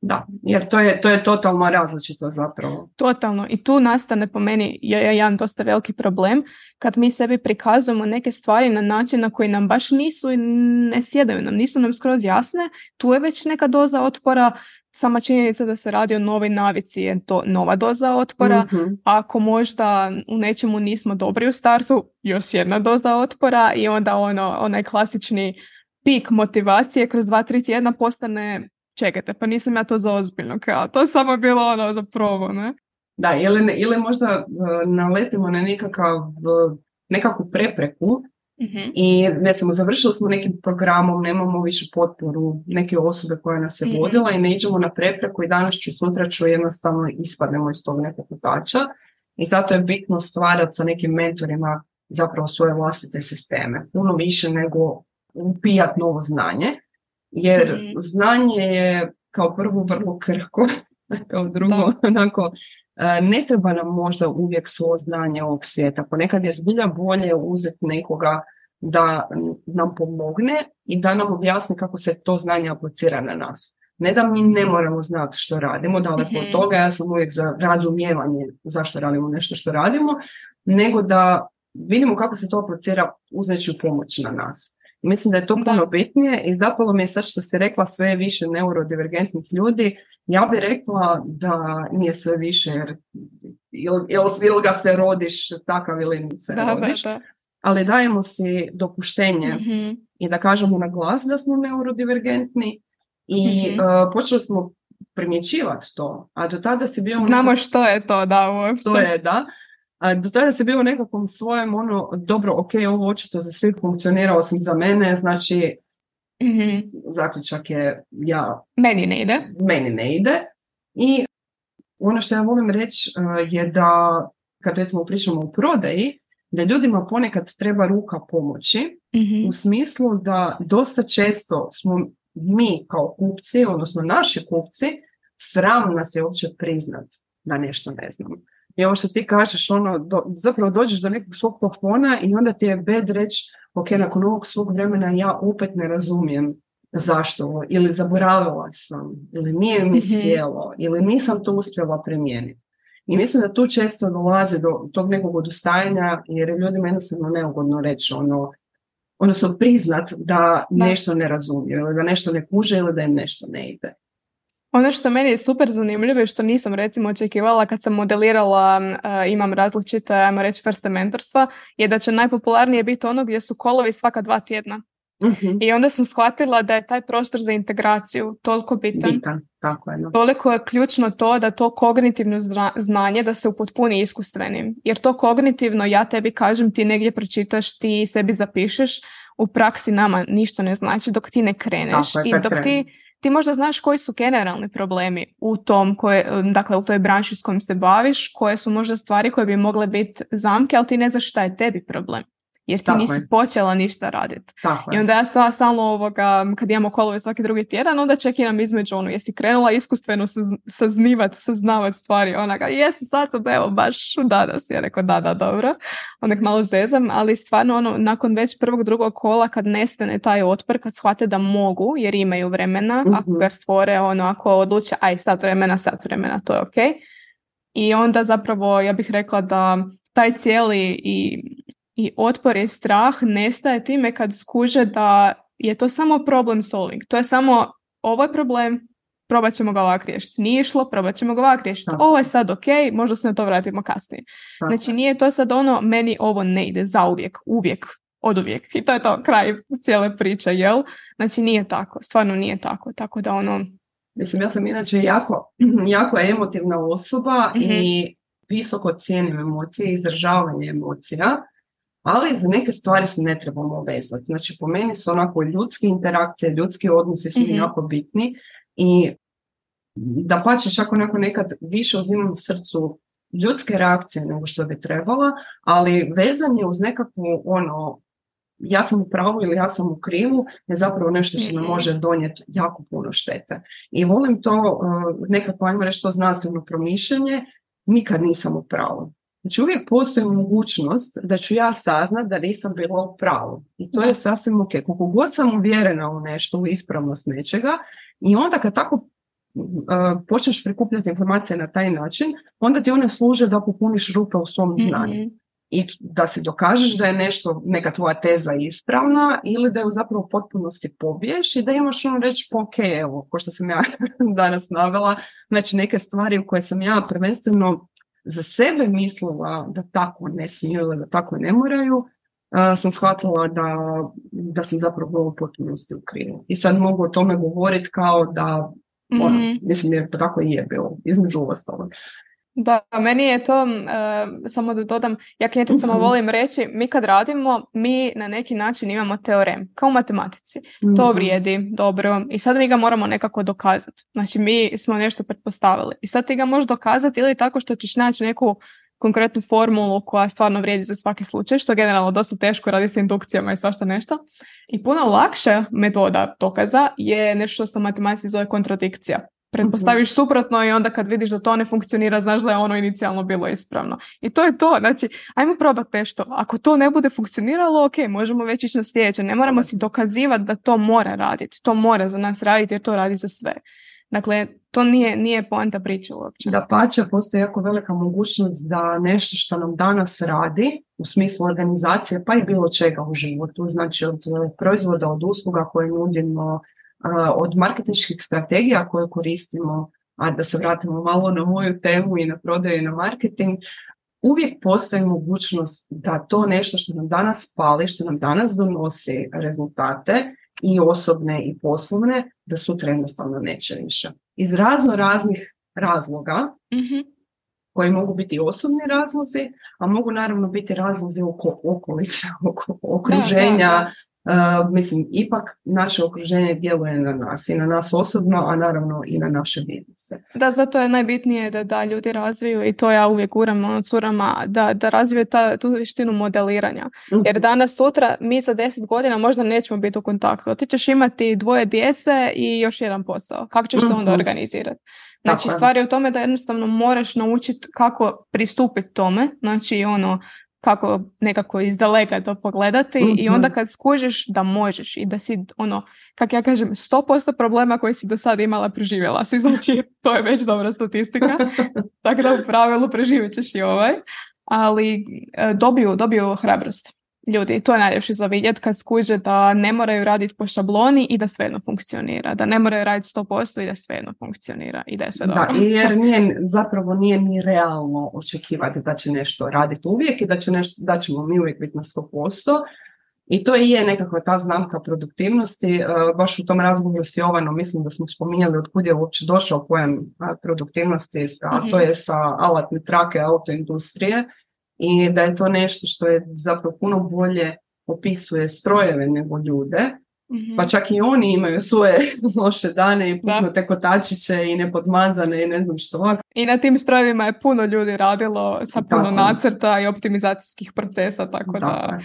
Da, jer to je, to je totalno različito zapravo. Totalno. I tu nastane po meni jedan dosta veliki problem kad mi sebi prikazujemo neke stvari na način na koji nam baš nisu i ne sjedaju nam, nisu nam skroz jasne. Tu je već neka doza otpora. Sama činjenica da se radi o novoj navici je to nova doza otpora. Mm-hmm. Ako možda u nečemu nismo dobri u startu, još jedna doza otpora i onda ono, onaj klasični pik motivacije kroz dva, tri tjedna postane čekajte, pa nisam ja to za ozbiljno, kao, to je samo bilo ono za probu, ne? Da, ili, ili možda uh, naletimo na nekakav, uh, nekakvu prepreku mm-hmm. i recimo završili smo nekim programom, nemamo više potporu neke osobe koja nas je mm-hmm. vodila i ne iđemo na prepreku i danas ću, sutra ću jednostavno ispadnemo iz tog nekog putača i zato je bitno stvarati sa nekim mentorima zapravo svoje vlastite sisteme, puno više nego upijati novo znanje. Jer mm. znanje je kao prvo vrlo krhko, kao drugo, da. onako, ne treba nam možda uvijek svo znanje ovog svijeta. Ponekad je zbilja bolje uzeti nekoga da nam pomogne i da nam objasni kako se to znanje aplicira na nas. Ne da mi ne moramo znati što radimo, daleko mm-hmm. od toga, ja sam uvijek za razumijevanje zašto radimo nešto što radimo, nego da vidimo kako se to aplicira uzeći pomoć na nas. Mislim da je to puno bitnije i zapalo mi je sad što si rekla sve više neurodivergentnih ljudi, ja bih rekla da nije sve više jer ili, ili ga se rodiš takav ili se da, rodiš, da, da. Ali dajemo si dopuštenje mm-hmm. i da kažemo na glas da smo neurodivergentni i mm-hmm. uh, počeli smo primjećivati to, a do tada si bio... Znamo nekako... što je to, da, uopće. To je, da. A do tada se bio u nekakvom svojem ono, dobro, ok, ovo očito za sve funkcionira osim za mene, znači mm-hmm. zaključak je ja... Meni ne ide. Meni ne ide. I ono što ja volim reći uh, je da, kad recimo pričamo o prodaji, da ljudima ponekad treba ruka pomoći, mm-hmm. u smislu da dosta često smo mi kao kupci, odnosno naši kupci, sram nas je uopće priznat da nešto ne znamo. I ovo što ti kažeš, ono, do, zapravo dođeš do nekog svog plafona i onda ti je bed reći, ok, nakon ovog svog vremena ja opet ne razumijem zašto ovo, ili zaboravila sam, ili nije mi sjelo, ili nisam to uspjela primijeniti. I mislim da tu često dolazi do tog nekog odustajanja, jer je ljudima jednostavno neugodno reći, ono, odnosno priznat da nešto ne razumiju, ili da nešto ne kuže, ili da im nešto ne ide. Ono što meni je super zanimljivo i što nisam recimo očekivala kad sam modelirala, uh, imam različite, ajmo reći, vrste mentorstva, je da će najpopularnije biti ono gdje su kolovi svaka dva tjedna. Uh-huh. I onda sam shvatila da je taj prostor za integraciju toliko bitan. Bitan, tako je. No. Toliko je ključno to da to kognitivno zna, znanje da se upotpuni iskustvenim. Jer to kognitivno, ja tebi kažem, ti negdje pročitaš, ti sebi zapišeš, u praksi nama ništa ne znači dok ti ne kreneš. Tako je, i dok krenu. ti Ti možda znaš koji su generalni problemi u tom, koje, dakle u toj branši s kojim se baviš, koje su možda stvari koje bi mogle biti zamke, ali ti ne znaš šta je tebi problem. jer ti Tako nisi je. počela ništa raditi. Tako I je. onda ja sta- stalno ovoga, kad imamo kolove svaki drugi tjedan, onda čekiram između ono, jesi krenula iskustveno saz- saznivat, saznavat stvari, onaga, jesi sad sam, evo, baš danas, ja rekao, da, da, dobro, onak malo zezam, ali stvarno ono, nakon već prvog, drugog kola, kad nestane taj otpor, kad shvate da mogu, jer imaju vremena, Mhm. ako ga stvore, ono, ako odluče, aj, sat vremena, sat vremena, to je okej. I onda zapravo, ja bih rekla da taj cijeli i I otpor i strah nestaje time kad skuže da je to samo problem solving. To je samo, ovo je problem, probat ćemo ga ovak riješiti. Nije išlo, probat ćemo ga ovak riješiti. Tako. Ovo je sad ok, možda se na to vratimo kasnije. Tako Znači nije to sad ono, meni ovo ne ide zauvijek, uvijek, oduvijek. I to je to, kraj cijele priče, jel? Znači nije tako, stvarno nije tako. Tako da ono... Mislim, ja sam inače jako, jako emotivna osoba Mhm. i visoko cijenim emocije, izdržavanje emocija, ali za neke stvari se ne trebamo vezati. Znači, po meni su onako ljudske interakcije, ljudski odnosi su mi Mhm. jako bitni i da pače čak onako nekad više uzimam srcu ljudske reakcije nego što bi trebala, ali vezanje uz nekakvu ono, ja sam u pravu ili ja sam u krivu, je zapravo nešto što nam Mhm. može donijeti jako puno štete. I volim to, uh, nekako ajmo reći to znanstveno promišljanje, nikad nisam u pravu. Znači uvijek postoji mogućnost da ću ja saznat da nisam bila u pravu. I to Da. je sasvim ok. Koliko god sam uvjerena u nešto, u ispravnost nečega, i onda kad tako uh, počneš prikupljati informacije na taj način, onda ti one služe da popuniš rupe u svom znanju. Mhm. I da si dokažeš da je nešto, neka tvoja teza ispravna ili da ju zapravo u potpunosti pobiješ i da imaš ono reći, pa ok, evo, ko što sam ja danas navela, znači neke stvari u koje sam ja prvenstveno za sebe mislila da tako ne smiju ili da tako ne moraju, uh, sam shvatila da, da sam zapravo u potpunosti u krivu. I sad mogu o tome govoriti kao da, ono, Mhm. mislim, jer tako i je bilo, između ostalog. Da, meni je to, uh, samo da dodam, ja klijenticama Mhm. volim reći, mi kad radimo, mi na neki način imamo teorem, kao u matematici. To Mhm. vrijedi, dobro, i sad mi ga moramo nekako dokazati. Znači, mi smo nešto pretpostavili. I sad ti ga možeš dokazati ili tako što ćeš naći neku konkretnu formulu koja stvarno vrijedi za svaki slučaj, što je generalno dosta teško, radi se indukcijama i svašta nešto. I puno lakša metoda dokaza je nešto što se u matematici zove kontradikcija. Pretpostaviš suprotno i onda kad vidiš da to ne funkcionira, znaš da je ono inicijalno bilo ispravno. I to je to. Znači, ajmo probati nešto. Ako to ne bude funkcioniralo, ok, možemo već ići na sljedeće. Ne moramo si dokazivati da to mora raditi. To mora za nas raditi jer to radi za sve. Dakle, to nije, nije poanta priče uopće. Da pače, postoji jako velika mogućnost da nešto što nam danas radi, u smislu organizacije, pa i bilo čega u životu, znači od proizvoda, od usluga koje nudimo, od marketinških strategija koje koristimo, a da se vratimo malo na moju temu i na prodaju i na marketing, uvijek postoji mogućnost da to nešto što nam danas pali, što nam danas donosi rezultate i osobne i poslovne, da sutra jednostavno neće više. Iz razno raznih razloga, Mhm. koji mogu biti osobni razlozi, a mogu naravno biti razlozi oko okolice, oko okruženja. Da, da, Uh, mislim, ipak naše okruženje djeluje na nas i na nas osobno, a naravno i na naše biznise. Da, zato je najbitnije da, da ljudi razviju, i to ja uvijek guram ono curama, da, da razviju ta, tu vještinu modeliranja. Mhm. Jer danas, sutra, mi za deset godina možda nećemo biti u kontaktu. Ti ćeš imati dvoje djece i još jedan posao. Kako ćeš se onda Mhm. organizirati? Znači, Tako je. stvar je u tome da jednostavno moraš naučiti kako pristupiti tome. Znači, ono, kako nekako iz daleka to pogledati Mhm. i onda kad skužiš da možeš i da si, ono, kak ja kažem, sto posto problema koje si do sada imala preživjela si, znači to je već dobra statistika, tako da u pravilu preživjet ćeš i ovaj, ali e, dobiju, dobiju hrabrost ljudi, to je najljepše za vidjet kad skuže da ne moraju raditi po šabloni i da svejedno funkcionira, da ne moraju raditi sto posto i da svejedno funkcionira i da je sve dobro. Da, jer nije, zapravo nije ni realno očekivati da će nešto raditi uvijek i da, će nešto, da ćemo mi uvijek biti na sto posto. I to i je nekakva ta znamka produktivnosti. Uh, baš u tom razgovoru s Jovanom mislim da smo spominjali od kud je uopće došao pojam produktivnosti, a to je sa alatne trake autoindustrije i da je to nešto što je zapravo puno bolje opisuje strojeve nego ljude. Mm-hmm. Pa čak i oni imaju svoje loše dane i puknute kotačiće i nepodmazane i ne znam što. I na tim strojevima je puno ljudi radilo sa puno Tako. nacrta i optimizacijskih procesa, tako, tako da...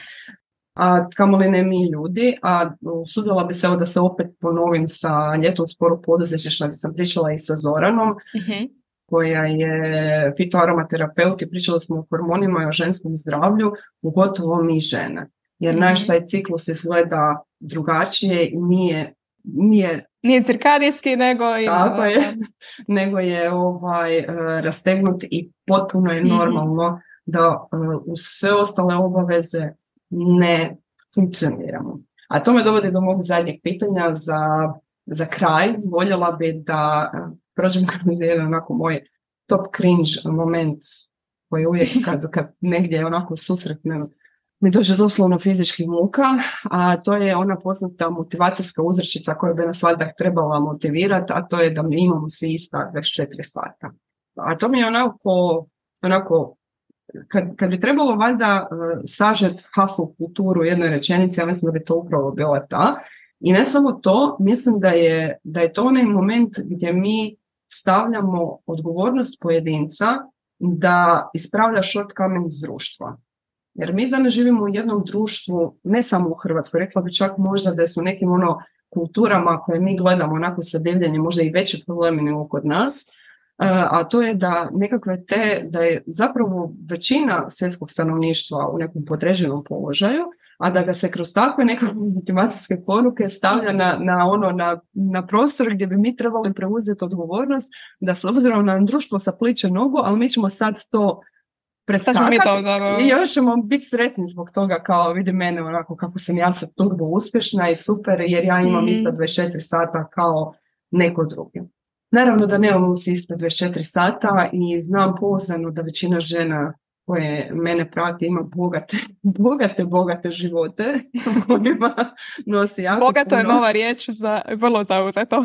a kamoli ne mi ljudi, a usudila bi se evo da se opet ponovim sa ljetom sporog poduzetništva gdje sam pričala i sa Zoranom, mm-hmm. koja je fitoaromaterapeut i pričali smo o hormonima i o ženskom zdravlju, pogotovo mi žene. Jer mm-hmm. naš taj ciklus izgleda drugačije i nije... Nije, nije cirkadijski, nego je, tako je, nego je ovaj, uh, rastegnut i potpuno je normalno mm-hmm. da uh, uz sve ostale obaveze ne funkcioniramo. A to me dovodi do mog zadnjeg pitanja za, za kraj. Voljela bi da uh, prođem kroz jedan onako moj top cringe moment koji uvijek kad, kad negdje onako susretnem mi dođe doslovno fizičkih muka, a to je ona poznata motivacijska uzrečica koja bi nas valjda trebala motivirati, a to je da mi imamo svi ista dvadeset četiri sata. A to mi je onako, onako kad, kad bi trebalo valjda uh, sažet hustle kulturu u jednoj rečenici, ja mislim da bi to upravo bila ta. I ne samo to, mislim da je, da je to onaj moment gdje mi stavljamo odgovornost pojedinca da ispravlja shortcoming iz društva. Jer mi danas živimo u jednom društvu, ne samo u Hrvatskoj, rekla bi čak možda da su nekim ono kulturama koje mi gledamo onako sa divljenjem, možda i veće problemi nego kod nas, a to je da nekakve te, da je zapravo većina svjetskog stanovništva u nekom podređenom položaju, a da ga se kroz takve nekakve motivacijske poruke stavlja na, na, ono, na, na prostor gdje bi mi trebali preuzeti odgovornost, da s obzirom na društvo sapliče nogu, ali mi ćemo sad to preskakati i još ćemo biti sretni zbog toga, kao vidi mene onako kako sam ja sad turbo uspješna i super jer ja imam mm. isto dvadeset četiri sata kao neko drugi. Naravno da nemamo svi isto dvadeset četiri sata i znam pouzdano da većina žena koje mene prati ima bogate, bogate, bogate živote kojima nosi jako Bogato puno... je nova riječ za vrlo zauzeto.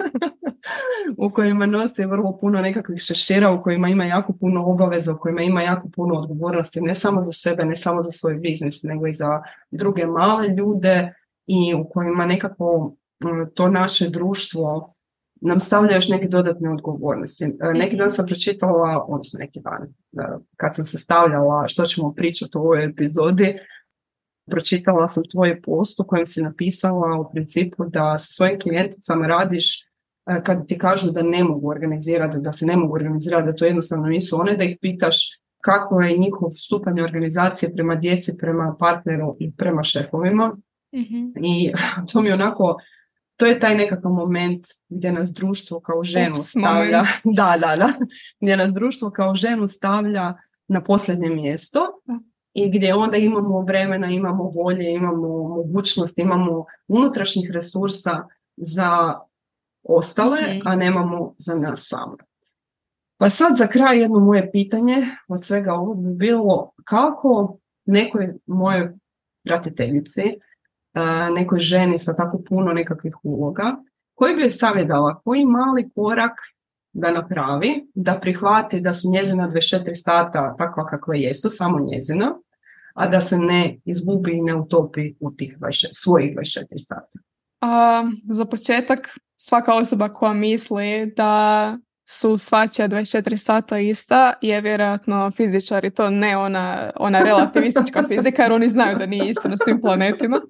u kojima nosi vrlo puno nekakvih šešira, u kojima ima jako puno obaveza, u kojima ima jako puno odgovornosti, ne samo za sebe, ne samo za svoj biznis, nego i za druge male ljude i u kojima nekako to naše društvo nam stavlja još neke dodatne odgovornosti. Neki dan sam pročitala, odnosno neki dan, kad sam se stavljala što ćemo pričati u ovoj epizodi, pročitala sam tvoj post u kojem si napisala u principu da sa svojim klijenticama radiš kad ti kažu da ne mogu organizirati, da se ne mogu organizirati, da to jednostavno nisu one, da ih pitaš kako je njihov stupanj organizacije prema djeci, prema partneru i prema šefovima. Mm-hmm. I to mi onako... To je taj nekakav moment gdje nas društvo kao ženu Ups, stavlja, da, da, da, gdje nas društvo kao ženu stavlja na posljednje mjesto i gdje onda imamo vremena, imamo volje, imamo mogućnost, imamo unutrašnjih resursa za ostale, mm-hmm. a nemamo za nas same. Pa sad za kraj jedno moje pitanje od svega ovog bi bilo kako nekoj mojoj pratiteljici, nekoj ženi sa tako puno nekakvih uloga, koji bi joj savjetala, koji mali korak da napravi, da prihvati da su njezina dvadeset četiri sata takva kakva jesu, samo njezina, a da se ne izgubi i ne utopi u tih dvadeset, svojih dvadeset četiri sata. A, za početak, svaka osoba koja misli da su svačija dvadeset četiri sata ista je vjerojatno fizičar i to ne ona, ona relativistička fizika jer oni znaju da nije isto na svim planetima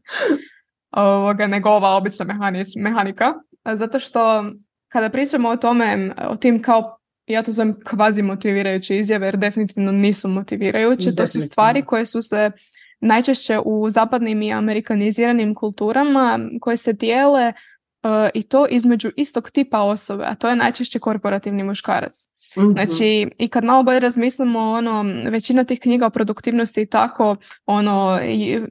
ovoga, nego ova obična mehanič, mehanika. Zato što kada pričamo o tome, o tim kao, ja to zovem kvazi motivirajuće izjave jer definitivno nisu motivirajuće, to su stvari koje su se najčešće u zapadnim i amerikaniziranim kulturama koje se dijele Uh, i to između istog tipa osobe, a to je najčešće korporativni muškarac. Mm-hmm. Znači, i kad malo bolje razmislimo, ono, većina tih knjiga o produktivnosti i tako, ono, i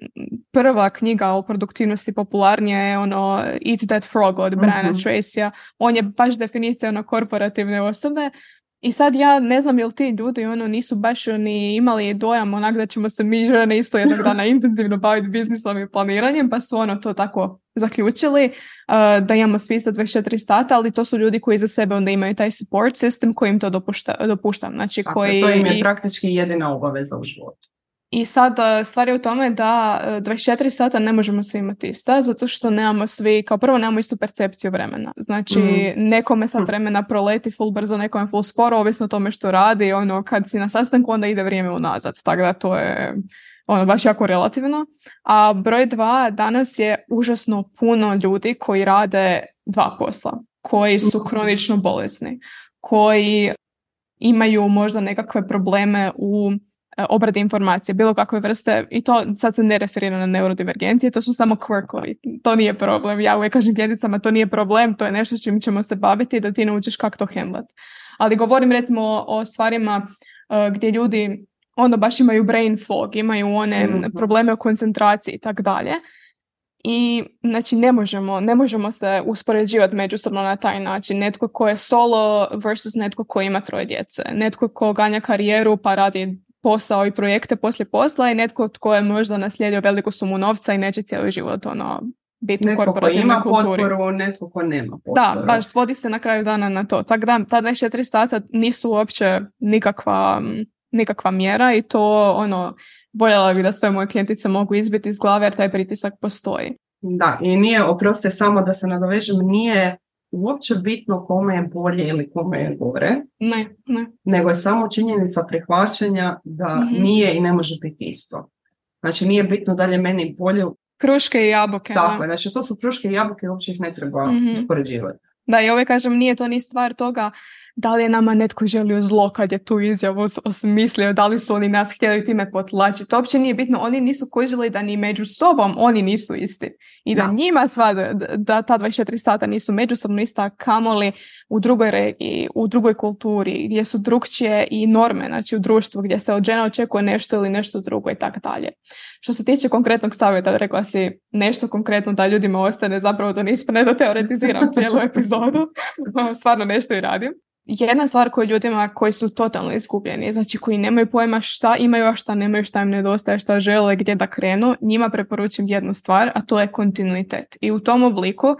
prva knjiga o produktivnosti popularnija je ono Eat That Frog od Briana mm-hmm. Tracyja. On je baš definicija ono korporativne osobe. I sad ja ne znam jel ti ljudi ono nisu baš ni imali dojam onak da ćemo se mi žene isto jednog dana intenzivno baviti biznisom i planiranjem, pa su ono to tako zaključili uh, da imamo svi isto dvadeset četiri sata, ali to su ljudi koji za sebe onda imaju taj support system koji im to dopušta, dopušta. Znači, tako, koji, to im je praktički jedina obaveza u životu. I sad stvar je u tome da dvadeset četiri sata ne možemo svi imati ista, zato što nemamo svi, kao prvo nemamo istu percepciju vremena. Znači mm. nekome sad vremena proleti full brzo, nekome full sporo, ovisno o tome što radi, ono kad si na sastanku onda ide vrijeme unazad, tako da to je ono baš jako relativno. A broj dva, danas je užasno puno ljudi koji rade dva posla, koji su kronično bolesni, koji imaju možda nekakve probleme u obradi informacije, bilo kakve vrste, i to sad se ne referira na neurodivergencije, to su samo quirkovi, to nije problem. Ja uvijek kažem klijenticama, to nije problem, to je nešto s čim ćemo se baviti da ti naučiš kako to handlat. Ali govorim recimo o, o stvarima uh, gdje ljudi ono baš imaju brain fog, imaju one mm-hmm. probleme u koncentraciji i tak dalje. I znači ne možemo, ne možemo se uspoređivati međusobno na taj način. Netko ko je solo versus netko ko ima troje djece. Netko ko ganja karijeru pa radi posao i projekte poslije posla i netko tko je možda naslijedio veliku sumu novca i neće cijeli život ono, biti u korporativnoj kulturi. Netko ko ima potporu, netko ko nema potporu. Da, baš svodi se na kraju dana na to. Tako da, ta dvadeset četiri sata nisu uopće nikakva, nikakva mjera i to ono, voljela bih da sve moje klijentice mogu izbiti iz glave jer taj pritisak postoji. Da, i nije, oproste samo da se nadovežem, nije uopće bitno kome je bolje ili kome je gore. Ne, ne. Nego je samo činjenica prihvaćanja da mm-hmm. nije i ne može biti isto. Znači nije bitno da li je meni bolje. Kruške i jabuke. Tako je, znači to su kruške i jabuke i uopće ih ne treba mm-hmm. uspoređivati. Da, i uvijek kažem, nije to ni stvar toga da li je nama netko želio zlo kad je tu izjavu osmislio, da li su oni nas htjeli time potlačiti. To uopće nije bitno, oni nisu kužili da ni među sobom oni nisu isti. I da, da. njima sva, da, da ta dvadeset četiri sata nisu međusobno ista, kamoli u drugoj regiji, u drugoj kulturi, gdje su drukčije i norme, znači u društvu gdje se od žena očekuje nešto ili nešto drugo i tako dalje. Što se tiče konkretnog savjeta, rekla si nešto konkretno da ljudima ostane, zapravo da ne ispane da teoretiziram cijelu epizodu, stvarno nešto i radim. Jedna stvar koju ljudima koji su totalno izgubljeni, znači koji nemaju pojma šta imaju, a šta nemaju, šta im nedostaje, šta žele, gdje da krenu, njima preporučujem jednu stvar, a to je kontinuitet. I u tom obliku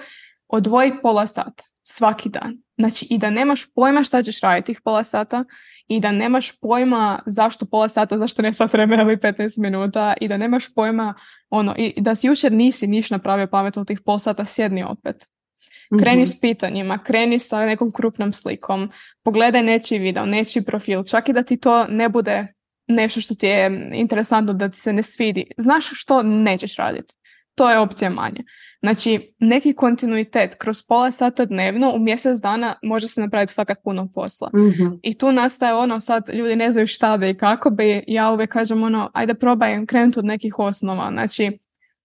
odvoji pola sata svaki dan. Znači i da nemaš pojma šta ćeš raditi tih pola sata i da nemaš pojma zašto pola sata, zašto ne sat vremena ili petnaest minuta i da nemaš pojma ono, i da si jučer nisi niš napravio pametno tih pola sata, sjedni opet. Kreni s pitanjima, kreni sa nekom krupnom slikom, pogledaj nečiji video, nečiji profil, čak i da ti to ne bude nešto što ti je interesantno, da ti se ne svidi. Znaš što nećeš raditi. To je opcija manje. Znači, neki kontinuitet kroz pola sata dnevno u mjesec dana može se napraviti fakat puno posla. Mm-hmm. I tu nastaje ono, sad ljudi ne znaju šta bi i kako bi, ja uvijek kažem ono, ajde probaj krenuti od nekih osnova. Znači,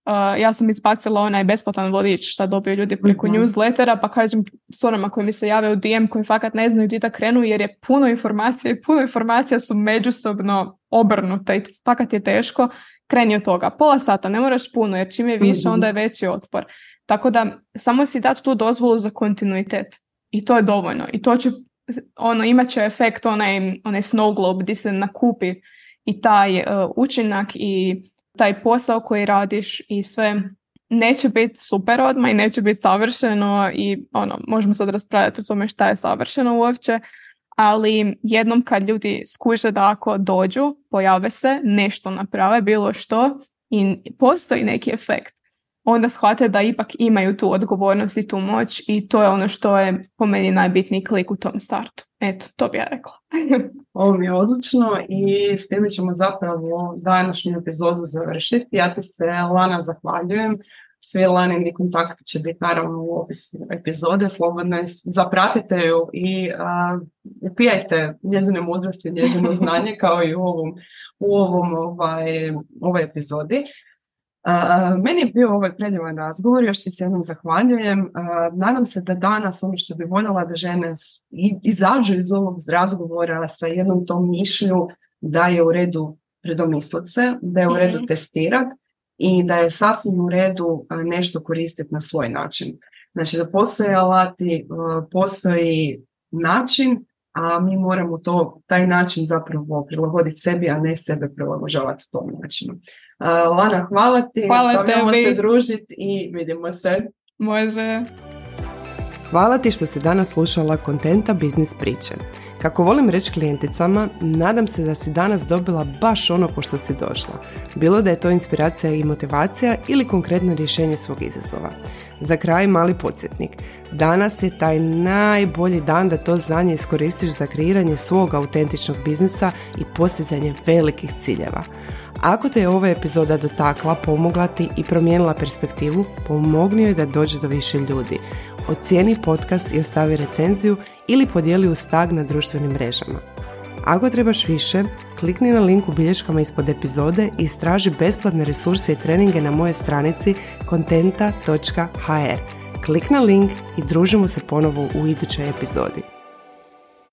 Uh, ja sam izbacila onaj besplatan vodič šta dobiju ljudi preko mm-hmm. newslettera, pa kažem s onama koji mi se jave u D M koji fakat ne znaju gdje da krenu jer je puno informacija i puno informacija su međusobno obrnute i fakat je teško, kreni od toga. Pola sata, ne moraš puno jer čim je više mm-hmm. onda je veći otpor. Tako da samo si dati tu dozvolu za kontinuitet i to je dovoljno. I to će, ono, imat će efekt onaj, onaj snow globe gdje se nakupi i taj uh, učinak i taj posao koji radiš i sve neće biti super odmah i neće biti savršeno i ono, možemo sad raspravljati o tome šta je savršeno uopće, ali jednom kad ljudi skuže da ako dođu, pojave se, nešto naprave, bilo što i postoji neki efekt, onda shvate da ipak imaju tu odgovornost i tu moć i to je ono što je po meni najbitniji klik u tom startu. Eto, to bi ja rekla. Ovo mi je odlično i s time ćemo zapravo današnju epizodu završiti. Ja ti se, Lana, zahvaljujem. Svi Lanini kontakti će biti naravno u opisu epizode. Slobodno zapratite ju i uh, upijajte njezine mudrosti, njezino znanje kao i u ovom, u ovom ovaj, ovoj epizodi. Uh, meni je bio ovaj predivan razgovor, još ti se jednom zahvaljujem. Uh, nadam se da danas ono što bi voljela da žene i, izađu iz ovog razgovora sa jednom tom mišlju da je u redu predomisliti se, da je u redu mm-hmm. testirati i da je sasvim u redu uh, nešto koristiti na svoj način. Znači da postoje alati, uh, postoji način, a mi moramo to, taj način zapravo prilagoditi sebi, a ne sebe prilagođavati tom načinu. Uh, Lana, hvala ti, stavljamo se družiti i vidimo se. Može. Hvala ti što si danas slušala Kontenta biznis priče. Kako volim reći klijenticama, nadam se da si danas dobila baš ono po što si došla. Bilo da je to inspiracija i motivacija ili konkretno rješenje svog izazova. Za kraj mali podsjetnik. Danas je taj najbolji dan da to znanje iskoristiš za kreiranje svog autentičnog biznisa i postizanje velikih ciljeva. Ako te je ova epizoda dotakla, pomogla ti i promijenila perspektivu, pomogni joj da dođe do više ljudi. Ocijeni podcast i ostavi recenziju ili podijeli uz tag na društvenim mrežama. Ako trebaš više, klikni na link u bilješkama ispod epizode i istraži besplatne resurse i treninge na mojoj stranici kontenta točka ha er. Klik na link i družimo se ponovo u idućoj epizodi.